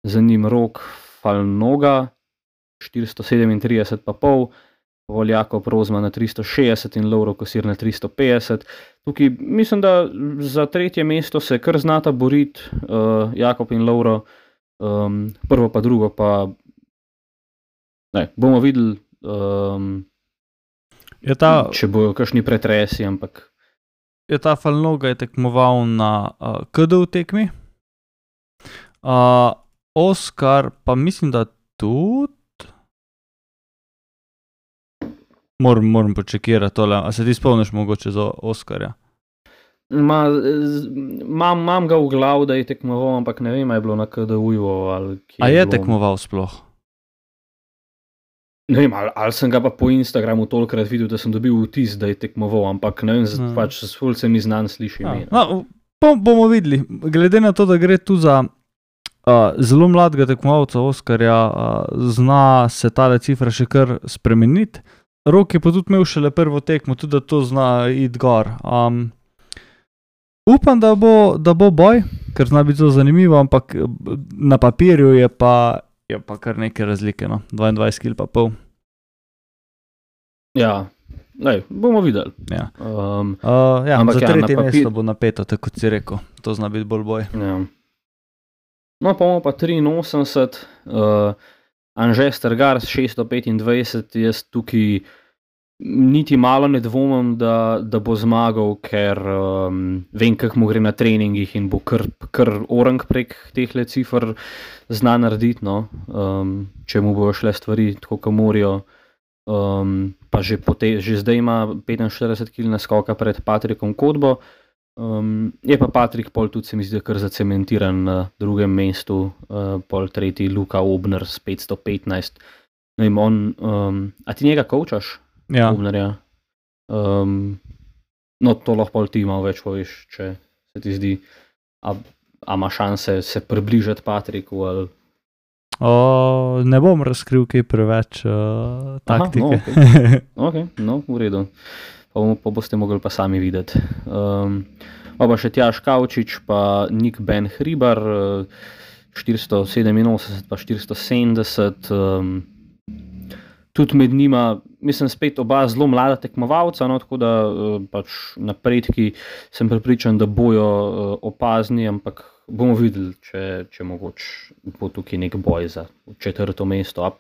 za njim Rok Falnoga, 437 pa pol, Voljako Prozma na 360 in Lovro Kosir na 350. Tukaj mislim, da za tretje mesto se kar znata boriti Jakob in Lovro. Prvo pa drugo pa ne, bomo videli, če bojo kakšni pretresi, ampak
ta Falnoga je tekmoval na KDU tekmi, Oskar pa mislim, da tudi moram počekirati tole, a se ti spomniš mogoče za Oskarja?
Imam ga v glavu, da je tekmoval, ampak ne vem, je bilo na KDU-ju ali kje.
A je tekmoval sploh?
Ne vem, ali sem ga pa po Instagramu tolikrat videl, da sem dobil vtis, da je tekmoval, ampak ne vem, pač s ful se mi znan sliši ime.
No, bomo videli. Glede na to, da gre tu za zelo mladega tekmovalca Oskarja, zna se tale cifra še kar spremeniti. Rok je pa tudi imel šele prvo tekmo, tudi da to zna iti gor. Upam, da bo boj, ker zna biti zelo zanimivo, ampak na papirju je pa kar neke razlike, no. 22 kg pa pol.
Ja, bomo videli.
Ja. Ampak za tretje mesto bo napeto, tako kot si rekel. To zna biti bolj boj.
Ja. No, pa imamo pa 83, Anže Strgar 625, jaz tukaj niti malo ne dvomim, da bo zmagal, ker vem, kako mu gre na treningih in bo kar orang prek tehle cifr zna narediti, no. Če mu bojo šle stvari tako, kot morajo. Pa že zdaj ima 45 kg naskoka pred Patrikom Kodbo. Je pa Patrik pol tudi se mi zdi kar zacementiran na drugem mestu, pol tretji Luka Obner s 515. Ne vem, a ti njega koučaš?
Ja.
Obnerja. No, to lahko pol ti malo več poveš, če se ti zdi, a ima šanse se približati Patriku ali...
Ne bom razkril kaj preveč taktike.
Ok, no, v redu. Pa boste mogli pa sami videti. Pa še Tjaž Kavčič, pa Nik Ben Hribar, 487 pa 470. Tudi med njima, mislim, spet oba zelo mlada tekmovalca, no, tako da pač napredki sem prepričan, da bojo opazni, ampak bomo videli, če mogoče bo tukaj nek boj za 4. mesto.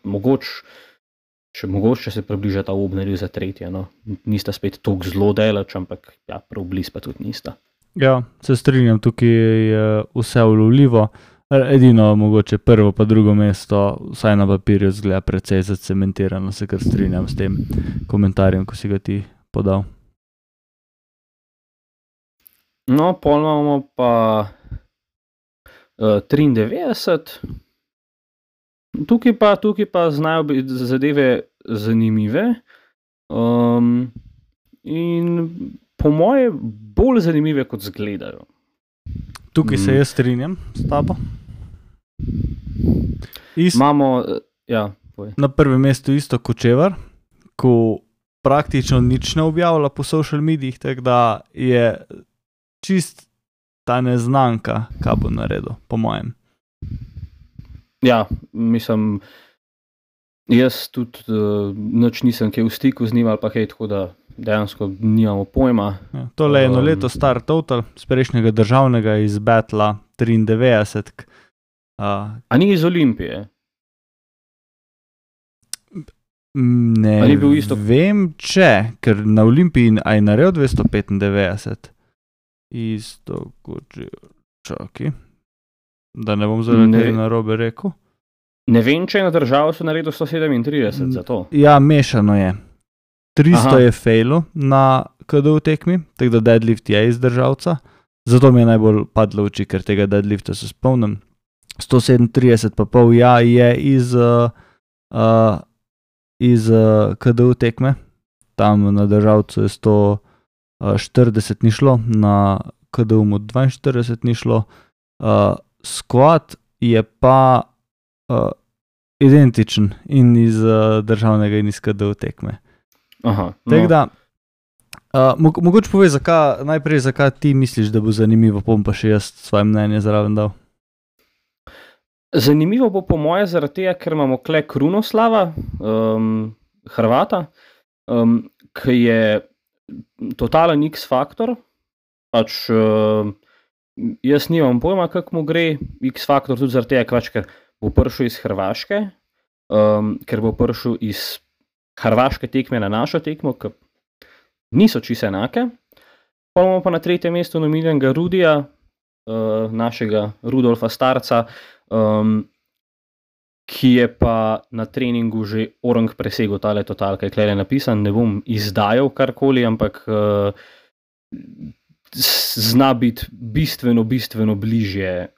Mogoče se približa ta Obnerju za 3. No. Nista spet toliko zelo delač, ampak ja, prav blizu pa tudi nista.
Ja, se strinjam, tukaj je vse ulovljivo. Edino mogoče 1. pa 2. mesto, vsaj na papirju, zgleda precej zacementirano, se kar strinjam s tem komentarjem, ko si ga ti podal.
No, pol imamo pa 93. Tukaj pa znajo biti zadeve zanimive in po moje bolj zanimive, kot zgledajo.
Tukaj se jaz strinjam s tabo.
Imamo, ja,
na 1. mestu isto Kočevar, ko praktično nič ne objavlja po social medijih, tako da je čist ta neznanka, kaj bo naredil, po mojem.
Ja, mislim, jaz tudi nič nisem kaj v stiku z njim ali pa kaj, tako da dejansko nimamo pojma.
Ja, tole je 1 leto star total, z prejšnjega državnega iz Betla 93.
A ni iz Olimpije?
Ne vem, ker na Olimpiji je naredil 295. Isto Kočevar, čakaj. Da ne bom zaradi narobe rekel.
Ne vem, če je na državo so naredil 137 za to.
Ja, mešano je. 300 je failu na KDU tekmi, tako da deadlift je iz državca. Zato mi je najbolj padlo v oči, ker tega deadlifta se spomnim. 137 pa pol je iz KDU tekme. Tam na državcu je 140 ni šlo, na KDU mu 42 ni šlo. Squat je pa identičen in iz državnega in iz KDU tekme.
Aha,
tako da, mogoče povej, najprej zakaj ti misliš, da bo zanimivo, bom pa še jaz svoje mnenje zraven dal.
Zanimivo bo po moje zaradi tega, ker imamo kle Krunoslava, Hrvata, ki je totalen X-faktor, pač jaz nimam pojma, kako mu gre X-faktor, tudi zaradi tega, ker bo prišel iz Hrvaške, ker bo prišel iz Hrvaške tekme na našo tekmo, ki niso čisto enake. Pa imamo pa na 3. mestu nominiranega Rudija, našega Rudolfa Starca, ki je pa na treningu že orang presegel tale total, kaj je tukaj napisan, ne bom izdajal karkoli, ampak zna biti bistveno bližje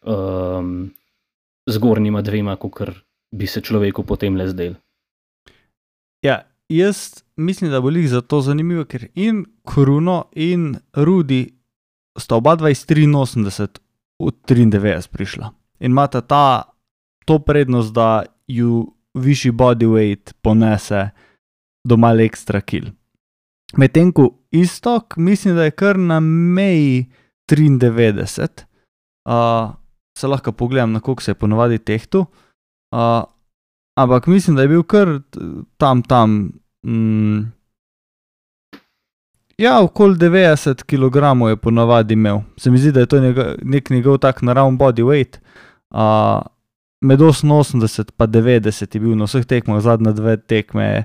zgornjima 2, kakor bi se človeku potem le zdel.
Ja, jaz mislim, da bo lih zato zanimivo, ker in Kruno in Rudi sta oba 83 v 93 prišla. In imata to prednost, da ju višji bodyweight ponese do malo ekstra kil. Medtem ko Istok, mislim, da je kar na meji 93. Se lahko pogledam, na koliko se je ponovadi tehtu. Ampak mislim, da je bil kar tam. Ja, okoli 90 kg je ponavadi imel. Se mi zdi, da je to nek njegov tak naravn body weight. Med 88 pa 90 je bil na vseh tekmah, zadnje 2 tekme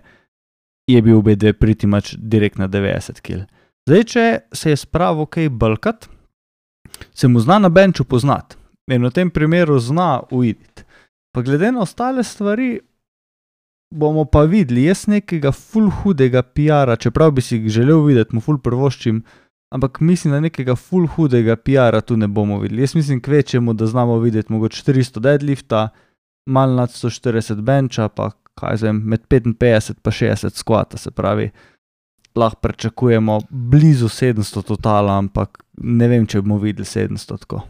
je bil obe pretty much direkt na 90 kg. Zdaj, če se je spravil kaj bulkat, se mu zna na benču poznati. In v tem primeru zna uiditi. Pa glede na ostale stvari, bomo pa videli, jaz nekega ful hudega PR-a, čeprav bi si želel videti, mu ful prvoščim, ampak mislim, da nekega ful hudega PR-a tu ne bomo videli. Jaz mislim kvečemu, da znamo videti mogoče 300 deadlifta, malo nad 140 benča, pa kaj zvem, med 55 pa 60 squata, se pravi, lahko pričakujemo blizu 700 totala, ampak ne vem, če bomo videli 700 tako.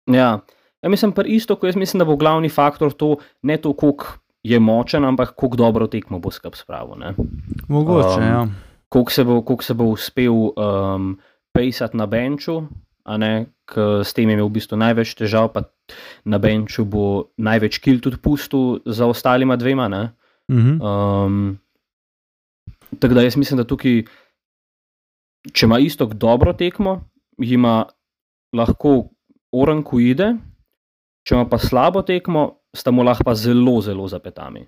Ja, mislim pa isto, ko jaz mislim, da bo glavni faktor to, ne to, koliko je močen, ampak koliko dobro tekmo bo skup spravil, ne.
Mogoče, ja.
Koliko se bo uspel pejsati na benču, a ne, s tem je imel v bistvu največ težav, pa na benču bo največ kil tudi pustil za ostalima 2, ne. Tako da jaz mislim, da tukaj, če ima Istok dobro tekmo, ima lahko Oranku ide, če ima pa slabo tekmo, sta mu lahko pa zelo, zelo zapetami.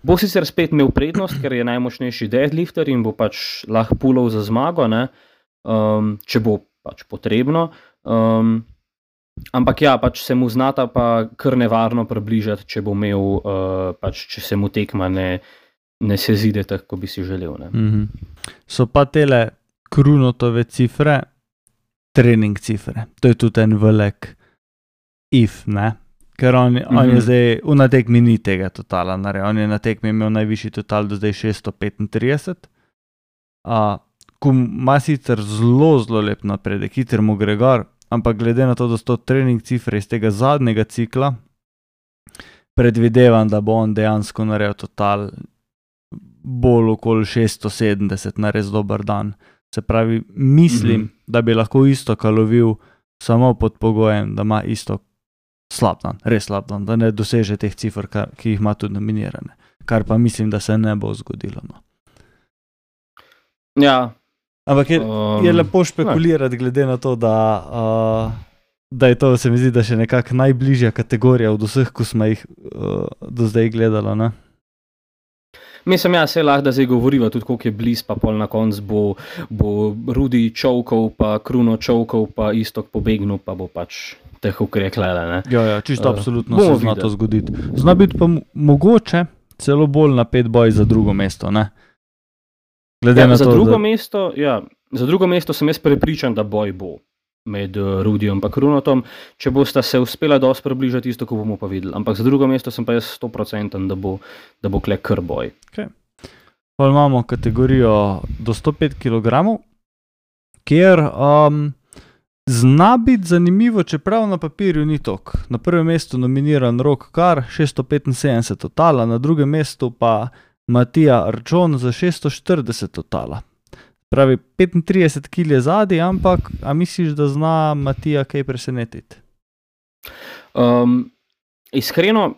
Bo sicer spet imel prednost, ker je najmočnejši deadlifter in bo pač lahko pulov za zmago, ne? Če bo pač potrebno. Ampak ja, pač se mu znata pa kar nevarno približati, če bo imel, pač če se mu tekma ne sezide tako, kot bi si želel. Ne?
So pa tele Krunotove cifre, trening cifre. To je tudi en velik if, ne? Ker on je zdaj, na tekmi ni tega totala naredil. On je na tekmi imel najvišji total do zdaj 635. Ko ima sicer zelo, zelo lep napredek, hiter mu gre gor, ampak glede na to, da so trening cifre iz tega zadnjega cikla, predvidevam, da bo on dejansko naredil total bolj okoli 670 na res dober dan. Se pravi, mislim, da bi lahko Istoka lovil samo pod pogojem, da ima Istok slab dan, res slab dan, da ne doseže teh cifr, ki jih ima tudi nominirane. Kar pa mislim, da se ne bo zgodilo. No.
Ja.
Ampak je lepo špekulirati glede na to, da je to, se mi zdi, da še nekako najbližja kategorija od vseh, ko smo jih do zdaj gledali, ne?
Mislim, ja, se lahko, da zdaj govoriva tudi, koliko je bliz, pa pol na konc bo Rudi čovkov, pa Kruno čovkov, pa Istok pobegnil, pa bo pač teh ukrejklele, ne?
Ja, čisto absolutno se zna to zgoditi. Zna biti pa mogoče celo bolj napet boj za drugo mesto, ne? Glede na to,
za drugo mesto sem jaz prepričan, da boj bo med Rudijem pa Krunotom. Če bosta se uspela dosti približati, isto, ko bomo pa videli. Ampak za drugo mesto sem pa jaz 100%, da bo kle kar boj.
Okay. Pa imamo kategorijo do 105 kg, kjer zna biti zanimivo, čeprav na papirju ni tok. Na prvem mestu nominiran Rok Kar, 675 totala, na drugem mestu pa Matija Arčon za 640 totala. Pravi, 35 kg je zadnji, ampak a misliš, da zna Matija kaj presenetiti?
Iskreno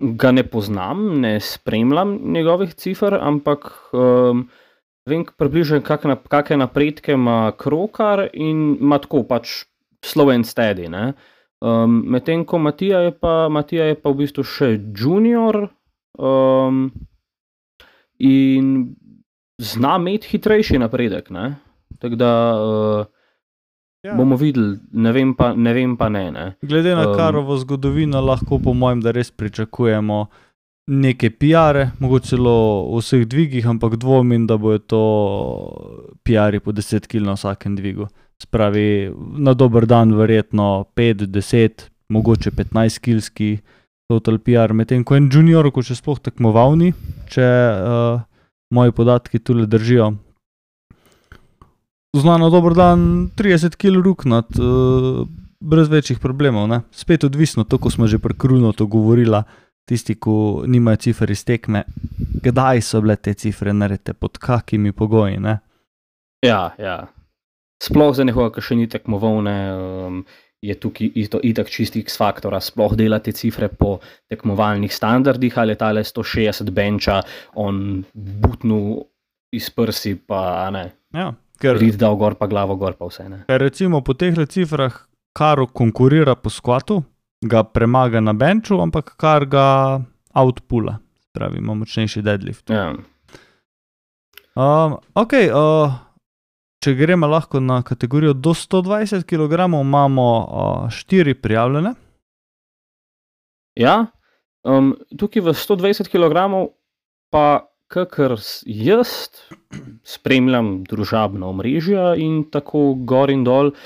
ga ne poznam, ne spremljam njegovih cifer, ampak vem približno, kakšne napredke ima Krokar in ima tako pač slow and steady. Medtem ko Matija je pa v bistvu še junior in zna imeti hitrejši napredek, ne? Tako da bomo videli, ne vem pa ne.
Glede na Karovo zgodovino lahko po mojem, da res pričakujemo neke PR-e, mogoče celo v vseh dvigih, ampak dvomim, da bojo to PR-i po 10 kg na vsakem dvigu. Spravi, na dober dan verjetno 5, 10, mogoče 15 kilski total PR, medtem ko en junior, ko še sploh tekmovalni, če moji podatki tule držijo. Zna na dober dan 30 kg ruknat, brez večjih problemov, ne? Spet odvisno, to, ko smo že pri Krunotu govorila, tisti, ko nimajo cifer iz tekme, kdaj so bile te cifre naredite, pod kakimi pogoji, ne?
Ja. Sploh za nekoga, ki še ni tekmoval, ne, je tukaj itak čisti X-faktora, sploh delati cifre po tekmovalnih standardih, ali je tale 160 benča, on butnul iz prsi, pa ne, rit dal gor, pa glavo gor, pa vse, ne.
Ker recimo po tehle cifrah Karo konkurira po skvatu, ga premaga na benču, ampak Kar ga outpula, pravi, ima močnejši deadlift.
Ja.
Če gremo lahko na kategorijo do 120 kg, imamo 4 prijavljene.
Ja, tukaj v 120 kg pa kakor jaz spremljam družabna omrežja in tako gor in dol,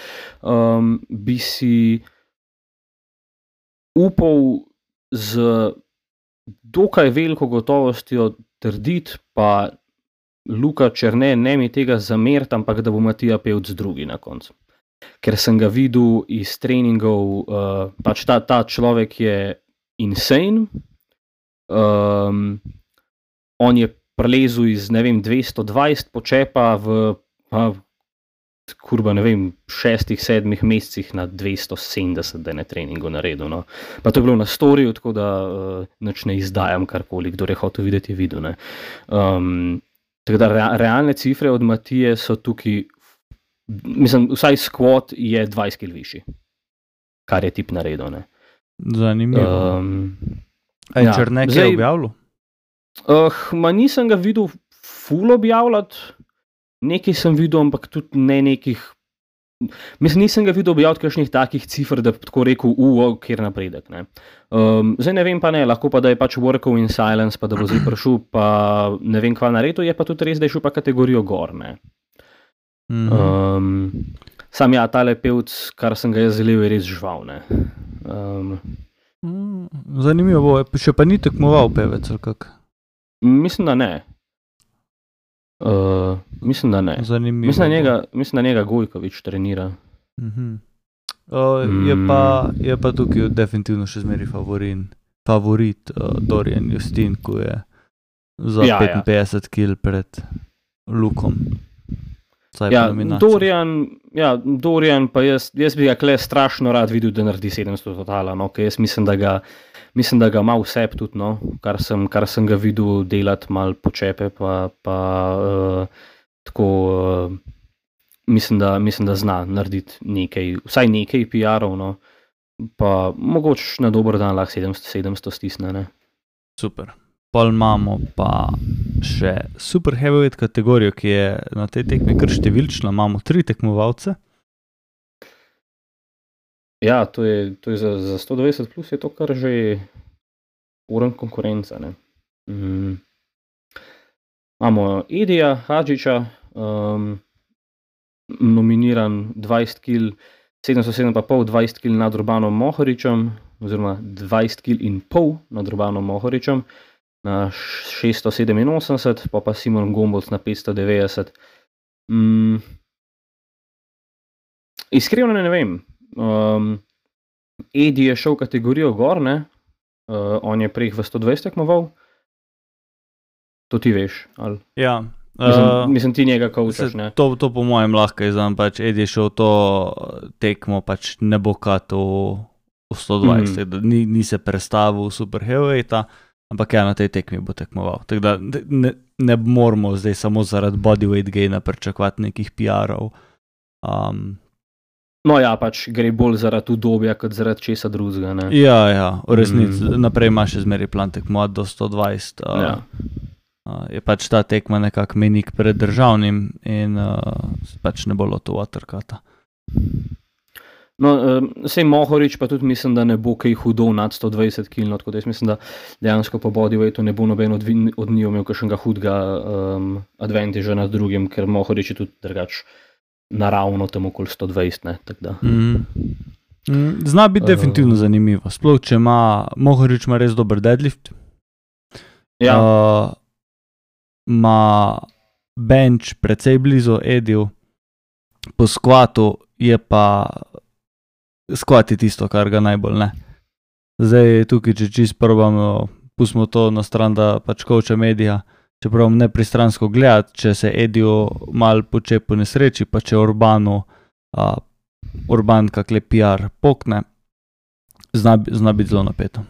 bi si upal z dokaj veliko gotovostjo trditi, pa Luka Černe ne mi tega zameriti, ampak da bo Matija Pevc drugi na koncu. Ker sem ga videl iz treningov, pač ta človek je insane, on je prelezel iz, 220 počepa v kurba, ne vem, 6-7 mesecih na 270 dne treningu naredil. No. Pa to je bilo na storju, tako da nič ne izdajam karkoli, kdo je hotel videti, je videl. Tako da realne cifre od Matije so tukaj, mislim, vsaj squat je 20 kg višji, kar je tip naredil. Ne.
Zanimivo. Črnek je objavljal?
Nisem ga videl ful objavljati, nekaj sem videl, ampak tudi ne nekih, mislim, nisem ga videl objavljati kakšnih takih cifr, da bi tako rekel, kjer napredek. Ne. Zdaj ne vem pa ne, lahko pa da je pač workal in silence, pa da bo zdaj prišel, pa ne vem kva naredil, je pa tudi res, da je šel pa kategorijo gor. Ne. Sam ja, tale pevc, kar sem ga jaz zelil, je res žval. Ne.
Zanimivo bo, še pa ni tekmoval pevec ali kak?
Mislim, da ne. Mislim, da ne.
Zanimivo.
Mislim, da njega Gojkovič trenira.
Je pa tukaj definitivno še zmeri favorit Dorian Justin, ko je za 55 kg pred Lukom.
Dorian pa jaz bi ga kle strašno rad videl, da naredi 700 totala, no, ker jaz mislim, da ga ima vse tudi, no, kar sem ga videl delati malo počepe, pa tako mislim, da zna narediti nekaj, vsaj nekaj PR-ov, no, pa mogoče na dober dan lahko 700 stisne, ne.
Super. Pol imamo pa še super heavyweight kategorijo, ki je na tej tekmi kar številčna, imamo 3 tekmovalce.
Ja, to je za 120 plus je to kar že uren konkurenca, ne. Imamo Edija Hadžiča, nominiran 20 kg, 707,5, 20 kg nad Urbanom Mohoričem, oziroma 20 kg in pol nad Urbanom Mohoričem, na 687, pa Simon Gombolc na 590. Iskreno ne vem. Edi je šel kategorijo gor, ne? On je prej v 120 tekmoval. To ti veš, ali?
Ja.
Mislim, ti njega koučaš, ne?
To po mojem lahko izdam, pač Edi je šel to tekmo, pač ne bo kato v 120, ni se prestavil v super heavyweighta, ampak ja, na tej tekmi bo tekmoval. Tako da ne moramo zdaj samo zaradi bodyweight gaina pričakovati nekih PR-ov.
No ja, pač gre bolj zaradi udobja, kot zaradi česa drugega, ne.
Ja, v resnici naprej ima še zmeri plan tekmovati do 120. Je pač ta tekma nekak menik pred državnim in pač ne bo loto watercutta.
No, sej Mohorič pa tudi mislim, da ne bo kaj hudo nad 120 kg, tako da jaz mislim, da dejansko po bodyweightu ne bo noben od njih imel kakšnega hudega advantaža nad drugim, ker Mohorič je tudi drugač naravno tam okoli 120, ne, tako da.
Zna biti definitivno zanimivo, sploh če Mohorič ima res dober deadlift.
Ja.
Ima bench precej blizu Ediju, po squatu je pa squat je tisto, kar ga najbolj ne. Zdaj tukaj, če čisto probamo, pustimo to na stran, da pač coacha Edija, če probam nepristransko gledati, če se Ediju malo počepo nesreči, pa če Urban kakle PR pokne, zna biti zelo napeto.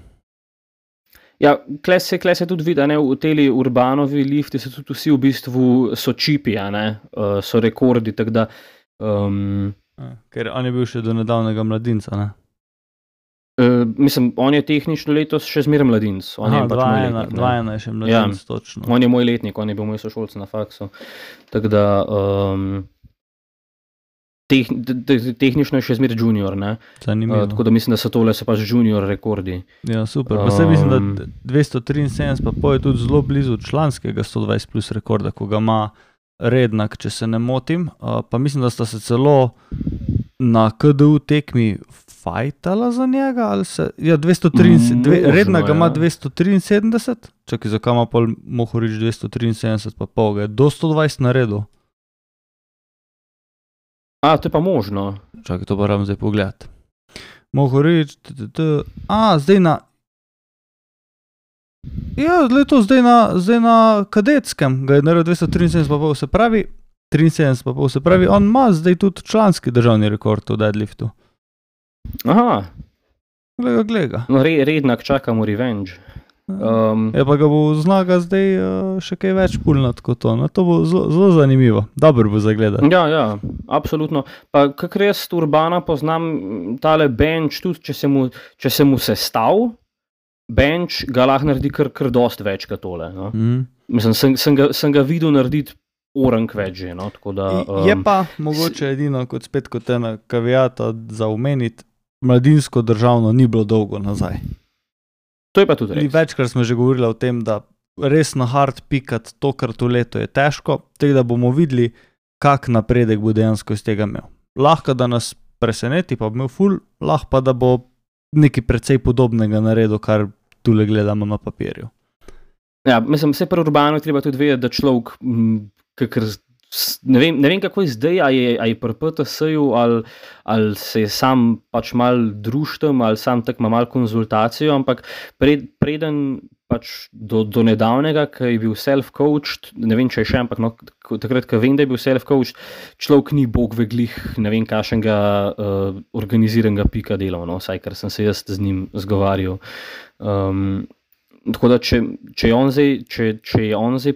Ja, kle se tudi vidi, ne, v teli Urbanovi lifti so tudi vsi v bistvu so čipi, ne, so rekordi, tako da
ker on je bil še do nedavnega mladinca, ne?
Mislim, on je tehnično letos še zmeraj mladinc.
Aha, 2-1 je še mladinc, točno.
On je moj letnik, on je bil moj sošolc na faksu. Tako da tehnično je še zmeraj junior, ne?
Zanimivo.
Tako da mislim, da so tole so pač junior rekordi.
Ja, super. Pa se mislim, da 273 pa je tudi zelo blizu članskega 120 plus rekorda, ko ga ima Rednak, če se ne motim, pa mislim, da sta se celo na KDU tekmi fajtala za njega, ali se, ja, 273, Rednak ga ima 273, čakaj, zakaj ima pol Mohorič 273 pa pol, ga je do 120 naredil.
To je pa možno.
Čakaj, to pa moram zdaj pogledati. Mohorič, zdaj na, ja, zdaj na kadetskem ga je naredil 273, pa se pravi, 73,5, se pravi, on ima zdaj tudi članski državni rekord v deadliftu.
Aha,
Gleda.
no rednak čakamo revenge.
Pa ga bo znaga zdaj še kaj več pulnat kot to. No, to bo zelo zanimivo. Dobro bo zagledati.
Ja, absolutno. Pa kakor jaz Urbana poznam, tale bench, tudi če se mu sestav, bench ga lahko naredi kar dost več kot tole. No? Mislim, sem ga videl narediti orang več že. No? Tako da,
Je pa mogoče edino kot ena kavijata za omeniti, mladinsko državno ni bilo dolgo nazaj.
To je pa tudi res.
Večkrat smo že govorili o tem, da res na hard pikati tokrat v leto je težko, tako da bomo videli, kak napredek bo dejansko iz tega imel. Lahko da nas preseneti, pa bo imel ful, lahko pa da bo nekaj precej podobnega naredil, kar tule gledamo na papirju.
Ja, mislim, vse pri Urbanu treba tudi vedeti, da človek, ne vem kako je zdaj, a je pri PTS-ju ali se je sam pač mal društem ali sam tak ima mal konzultacijo, ampak preden pač do nedavnega, ko je bil self-coached, ne vem, če je še, ampak no, takrat, ko vem, da je bil self-coached, človek ni bog veglih, ne vem, kakšnega organiziranega pika delal, no, vsaj, ker sem se jaz z njim zgovarjal. Tako da, če je on zdaj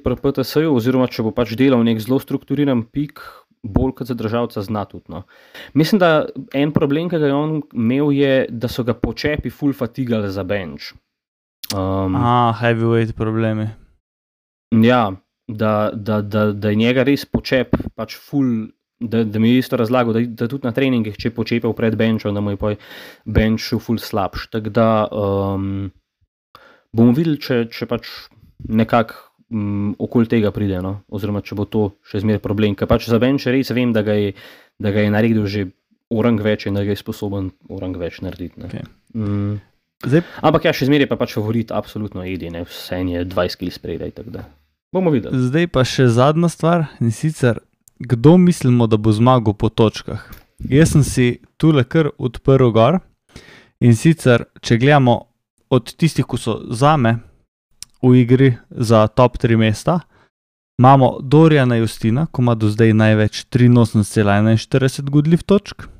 pri PTS-ju, oziroma če bo pač delal nek zelo strukturiran pik, bolj kot za državca zna tudi. No. Mislim, da en problem, ki ga je on imel, je, da so ga počepi full fatigali za bench.
Heavyweight problemi.
Ja, da je njega res počep pač full, da mi je isto razlagal, da tudi na treningih, če je počepal pred benchom, da mu je pa bench full slabš. Tako da bomo videli, če pač nekako okoli tega pride, no? Oziroma če bo to še zmeraj problem. Ker pač za bench res vem, da ga je naredil že orang več in da ga je sposoben orang več narediti. Ne?
Okay.
Ampak ja, še zmeraj pa pač favorit absolutno Edi, ne? Vse je 20 kg spredaj, tako da bomo videli.
Zdaj pa še zadnja stvar, in sicer, kdo mislimo, da bo zmagal po točkah? Jaz sem si tule kar odprl gor, in sicer, če gledamo od tistih, ko so zame v igri za top 3 mesta, imamo Dorijana Justina, ko ima do zdaj največ 83,41 goodlift točk,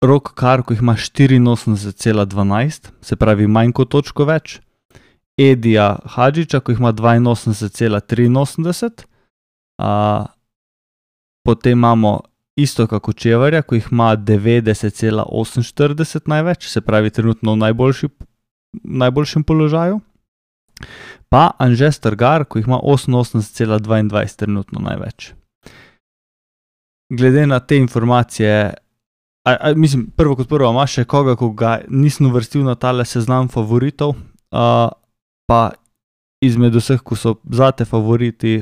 Rok Kar, ko jih ima 84,12, se pravi manj kot točko več, Edija Hadžiča, ko jih ima 82,83, potem imamo Istoka Kočevarja, ko jih ima 90,48 največ, se pravi trenutno v najboljšem položaju. Pa Anže Strgar, ko jih ima 88,22 trenutno največ. Glede na te informacije, mislim, prvo kot prvo, ima še koga, ko ga nisem uvrstil na tale seznam favoritov, pa izmed vseh, ko so zate favoriti,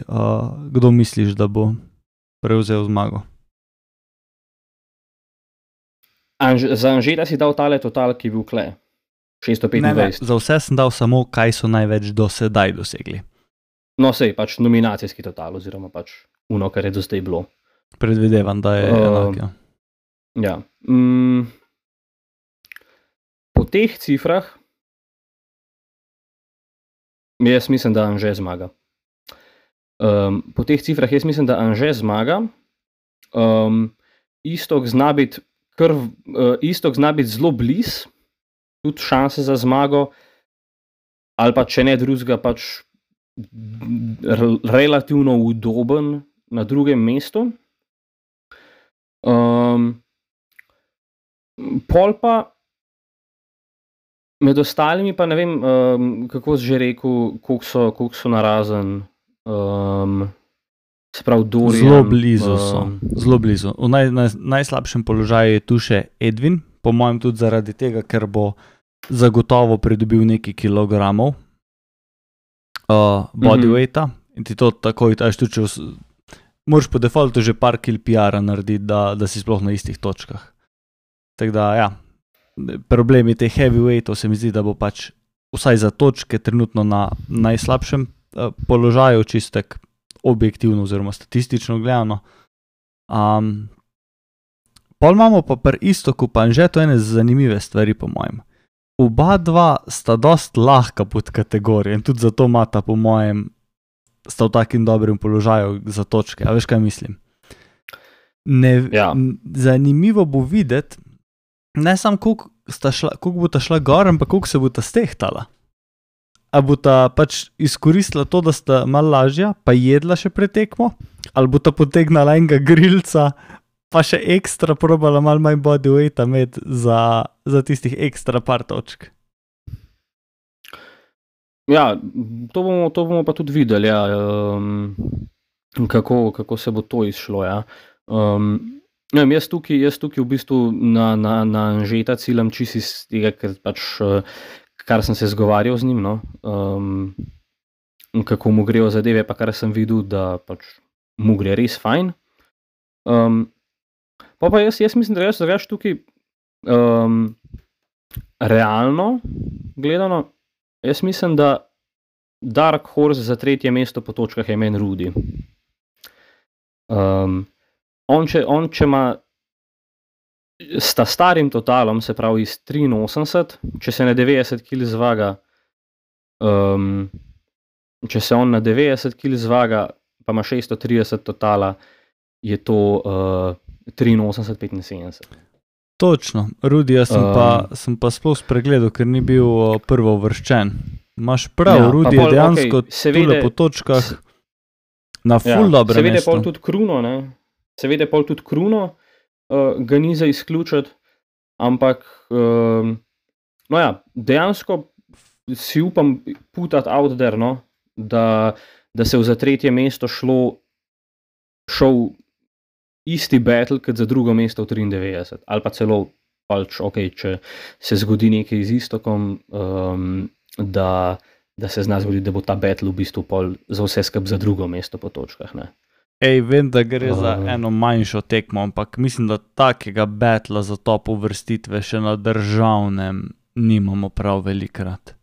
kdo misliš, da bo prevzel zmago?
Za Anžeta si dal tale total, ki je bil kle. 625.
Ne, za vse sem dal samo, kaj so največ do sedaj dosegli.
No, sej, pač nominacijski total, oziroma pač uno, kar je do zdaj bilo.
Predvidevam, da je enak, ja.
Ja. Po teh cifrah jaz mislim, da Anže zmaga. Po teh cifrah jaz mislim, da Anže zmaga. Istok zna biti zelo bliz, tudi šanse za zmago, ali pa če ne drugega, pač relativno udoben na drugem mestu. Pol pa med ostalimi pa ne vem, kako si že rekel, koliko so narazen, se pravi Dorian.
Zelo blizu so, zelo blizu. V najslabšem položaju je tu še Edwin, po mojem tudi zaradi tega, ker bo zagotovo pridobil nekaj kilogramov bodyweighta in ti to takoj, moraš po defaultu že par kil PR-a narediti, da si sploh na istih točkah. Tako da, ja, problemi teh heavyweightov se mi zdi, da bo pač vsaj za točke trenutno na najslabšem položaju, čistek objektivno oziroma statistično gledano. Pol imamo pa pri Istoku pa Anže to ene zanimive stvari po mojem. Oba dva sta dost lahka pod kategorijo in tudi zato imata po mojem sta v takim dobrem položaju za točke. A veš, kaj mislim? Zanimivo bo videti, ne samo koliko bo ta šla gor, ampak koliko se bo ta stehtala. A bo ta pač izkoristila to, da sta malo lažja, pa jedla še pretekmo, ali bo ta potegnala enega grilca, pa še ekstra probala malo manj bodyweighta med za tistih ekstra par točk.
Ja, to bomo pa tudi videli, ja, kako se bo to izšlo. Ja. Jaz tukaj v bistvu na Anžeta ciljam čisto iz tega, kar sem se zgovarjal z njim, no. Kako mu grejo zadeve, pa kar sem videl, da pač mu gre res fajn. Pa jaz mislim, da jaz tukaj realno gledano, jaz mislim, da Dark Horse za 3. mesto po točkah je meni Rudy. On, če ima s ta starim totalom, se pravi iz 83, če se na 90 kg zvaga, če se on na 90 kg zvaga, pa ima 630 totala, je to 83-75.
Točno, Rudyja sem pa sploh spregledal, ker ni bil prvo uvrščen. Imaš prav, Rudy je dejansko tule po točkah na ful dobro mesto.
Seveda pol tudi Kruno ga ni za izključiti, ampak dejansko si upam putati out there, no, da se v za 3. mesto šel isti battle kot za 2. mesto v 93, ali pa celo pač, če se zgodi nekaj z Istokom, da se zna zgoditi, da bo ta battle v bistvu pol za vse skupaj za 2. mesto po točkah, ne.
Vem, da gre za eno manjšo tekmo, ampak mislim, da takega battla za top uvrstitve še na državnem nimamo prav velikrat.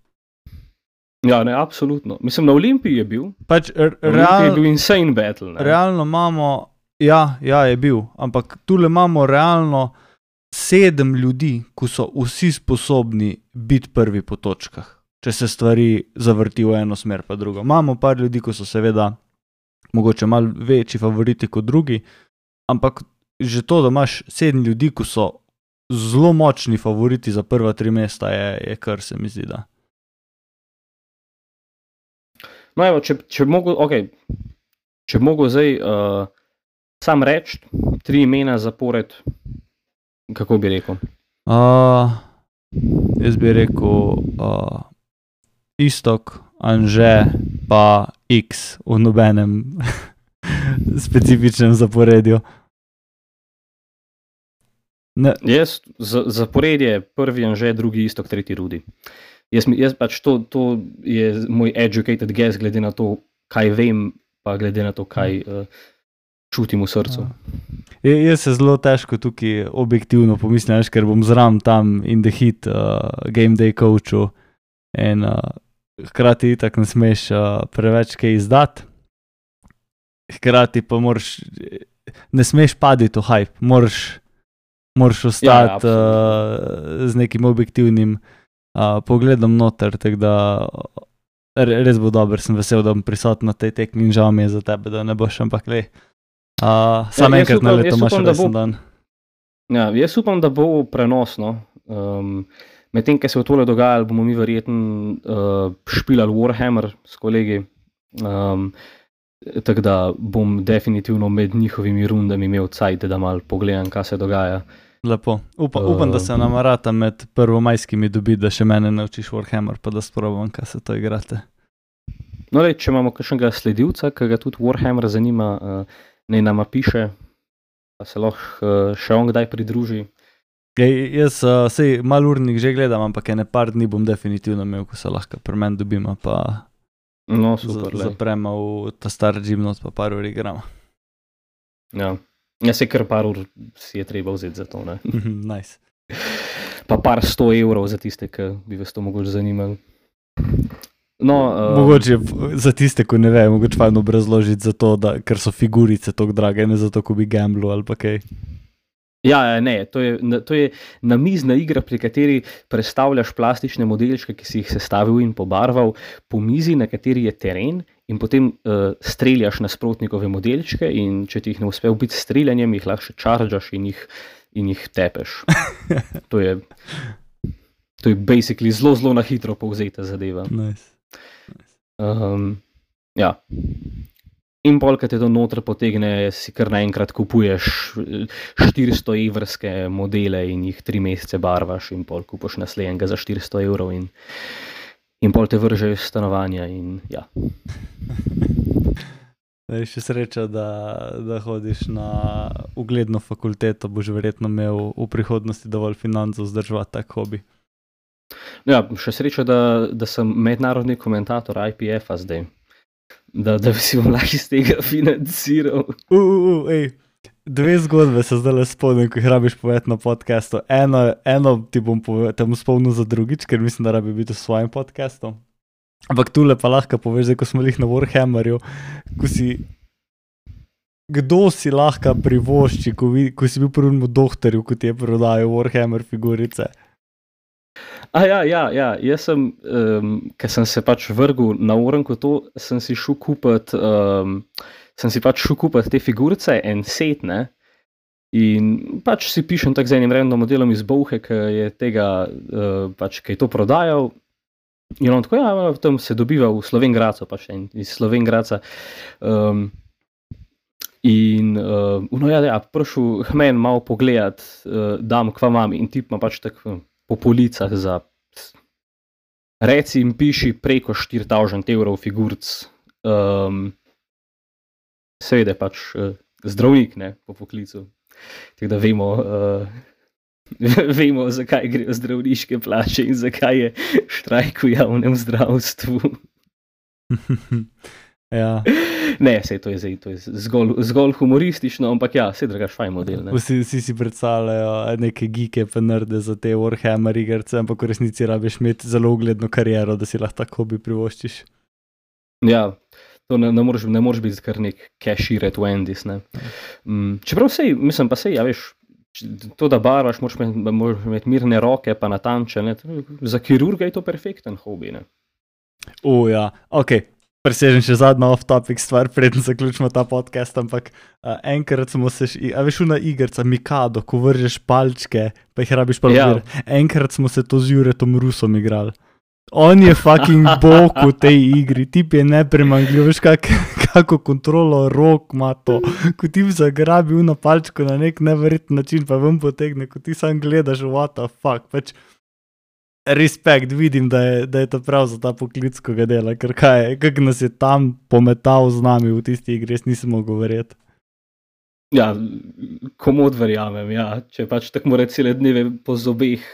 Ja, ne, absolutno. Mislim, na Olimpiji je bil.
Pač
Olimpiji je bil insane battle, ne.
Realno imamo, ja, je bil, ampak tule imamo realno 7 ljudi, ko so vsi sposobni biti prvi po točkah, če se stvari zavrti v eno smer pa drugo. Imamo par ljudi, ko so seveda mogoče malo večji favoriti kot drugi, ampak že to, da imaš 7 ljudi, ko so zelo močni favoriti za prva 3 mesta, je kar se mi zdi, da.
No evo, če bi mogel zdaj sam reči 3 imena zapored, kako bi rekel?
Jaz bi rekel Istok, Anže, pa X v nobenem specifičnem zaporedju.
Jaz zaporedje, prvi Anže, drugi Istok, tretji Rudy. Jaz pač to je moj educated guess, glede na to, kaj vem, pa glede na to, kaj čutim v srcu.
Jaz se zelo težko tukaj objektivno pomislim, ker bom zram tam in the hit game day coachu in hkrati itak ne smeš preveč kaj izdati. Hkrati pa ne smeš paditi v hype, moraš ostati z nekim objektivnim pogledom noter, tako da res bo dober, sem vesel, da bom prisoten na tej tekmi in žal mi je za tebe, da ne boš, ampak sam enkrat na leto imaš resen dan.
Ja, jaz upam, da bo prenosno. Medtem, ko se je tole dogajalo, bomo mi verjetno špilali Warhammer s kolegi, tako da bom definitivno med njihovimi rundami imel cajt, da malo pogledam, kaj se dogaja.
Lepo. Upam, da se namarata med prvomajskimi dobiti, da še mene naučiš Warhammer, pa da sprobam, kaj se to igrate.
No, če imamo kakšnega sledilca, ki ga tudi Warhammer zanima, naj nama piše, pa se lahko še on kdaj pridruži.
Jaz sej malo urnik že gledam, ampak ene par dni bom definitivno imel, ko se lahko pri meni dobimo, pa zapremo v ta star gymnot, pa par ur igramo.
Ja, se kar par ur si je treba vzeti za to, ne?
Nice.
Pa par 100 evrov za tiste, ki bi vas to mogoče zanimali. No,
mogoče za tiste, ko ne ve, mogoče fajn obrazložiti za to, ker so figurice toliko drage, ne zato, ko bi gamblu ali pa kaj.
Ja, ne, to je namizna igra, pri kateri prestavljaš plastične modelčke, ki si jih sestavil in pobarval, po mizi, na kateri je teren, in potem streljaš nasprotnikove modelčke, in če ti jih ne uspe ubiti s streljanjem, jih lahko še čaržaš in jih tepeš. To je basically zelo na hitro povzeta zadeva.
Nice.
Ja. In pol, kad te to noter potegne, si kar naenkrat kupuješ 400 evrske modele in jih 3 mesece barvaš, in pol kupaš naslednjega za 400 evrov in pol te vržejo iz stanovanja in ja.
Še sreča, da hodiš na ugledno fakulteto, boš verjetno imel v prihodnosti dovolj financ vzdrževati tak hobi.
Ja, še sreča, da sem mednarodni komentator IPF-a zdaj. Da bi si vam lahko iz tega financiral.
Ej, 2 zgodbe se zdaj spomnim, ko jih rabiš povedati na podcastu. Eno ti bom spomnil za drugič, ker mislim, da rabi biti v svojem podcastu. Ampak tule pa lahko poveš, ko smo jih na Warhammerju, kdo si lahko privošči, ko si bil prvemu doktorju, ko ti je prodajal Warhammer figurice.
Ja, jaz sem, ker sem se pač vrgel na Orenku to, sem si šel kupiti te figurice, en set, ne, in pač si pišem tak z enim random modelom iz Bouhe, ki je tega, pač, ki je to prodajal, in on tako, ja, tam se dobiva v Slovenj Gradcu, pač iz Slovenj Gradca, in prišel men malo pogledat, dam, kva imam, in tip ima pač tako po policah za, reci in piši, preko 4000 evrov figuric. Seveda pač zdravnik, ne, po poklicu. Tako da vemo, zakaj grejo zdravniške plače in zakaj je štrajk v javnem zdravstvu.
Ja.
Ne, to je zgolj humoristično, ampak ja, drugač fajn model. Ne?
Vsi si predstavljajo neke geeke pa nerde za te Warhammer igrce, ampak v resnici rabiš imeti zelo ugledno kariero, da si lahko tako hobi privoščiš.
Ja, to ne moreš biti kar nek cashier at Wendy's, ne. Čeprav mislim pa ja veš, to da barvaš, moraš imeti mirne roke pa natančne, za kirurga je to perfekten hobi, ne.
Ja, okej. Presežem še zadnja off-topic stvar, preden zaključimo ta podcast, ampak enkrat smo se, a veš, na igrca Mikado, ko vržeš palčke, pa jih rabiš pa enkrat smo se to z Juretom Rusom igrali. On je fucking bog v tej igri, tip je nepremanjljiv, veš kako kontrolo rok ima to, ko ti zagrabi na palčko na nek neverjeten način, pa ven potegne, ko ti sam gledaš, what the fuck, pač respekt, vidim, da je to prav za ta poklic, ko ga dela, ker kako nas je tam pometal z nami v tisti igri, jaz nisem mogel verjeti.
Ja, komod verjamem, ja, če pač tako mora cele dneve po zobeh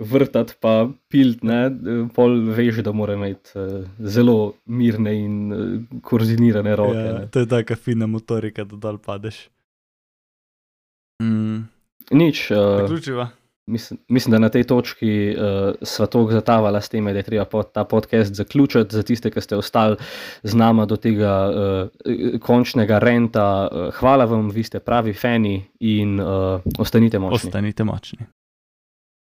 vrtati pa pilt, ne, pol veš, da mora imeti zelo mirne in koordinirane roke. Ja,
to je taka fina motorika, da dol padeš.
Nič.
Zaključiva.
Mislim, da na tej točki sva toliko zatavala s tem, da je treba ta podcast zaključiti. Za tiste, ki ste ostali z nama do tega končnega renta, hvala vam, vi ste pravi fani in ostanite močni.
Ostanite močni.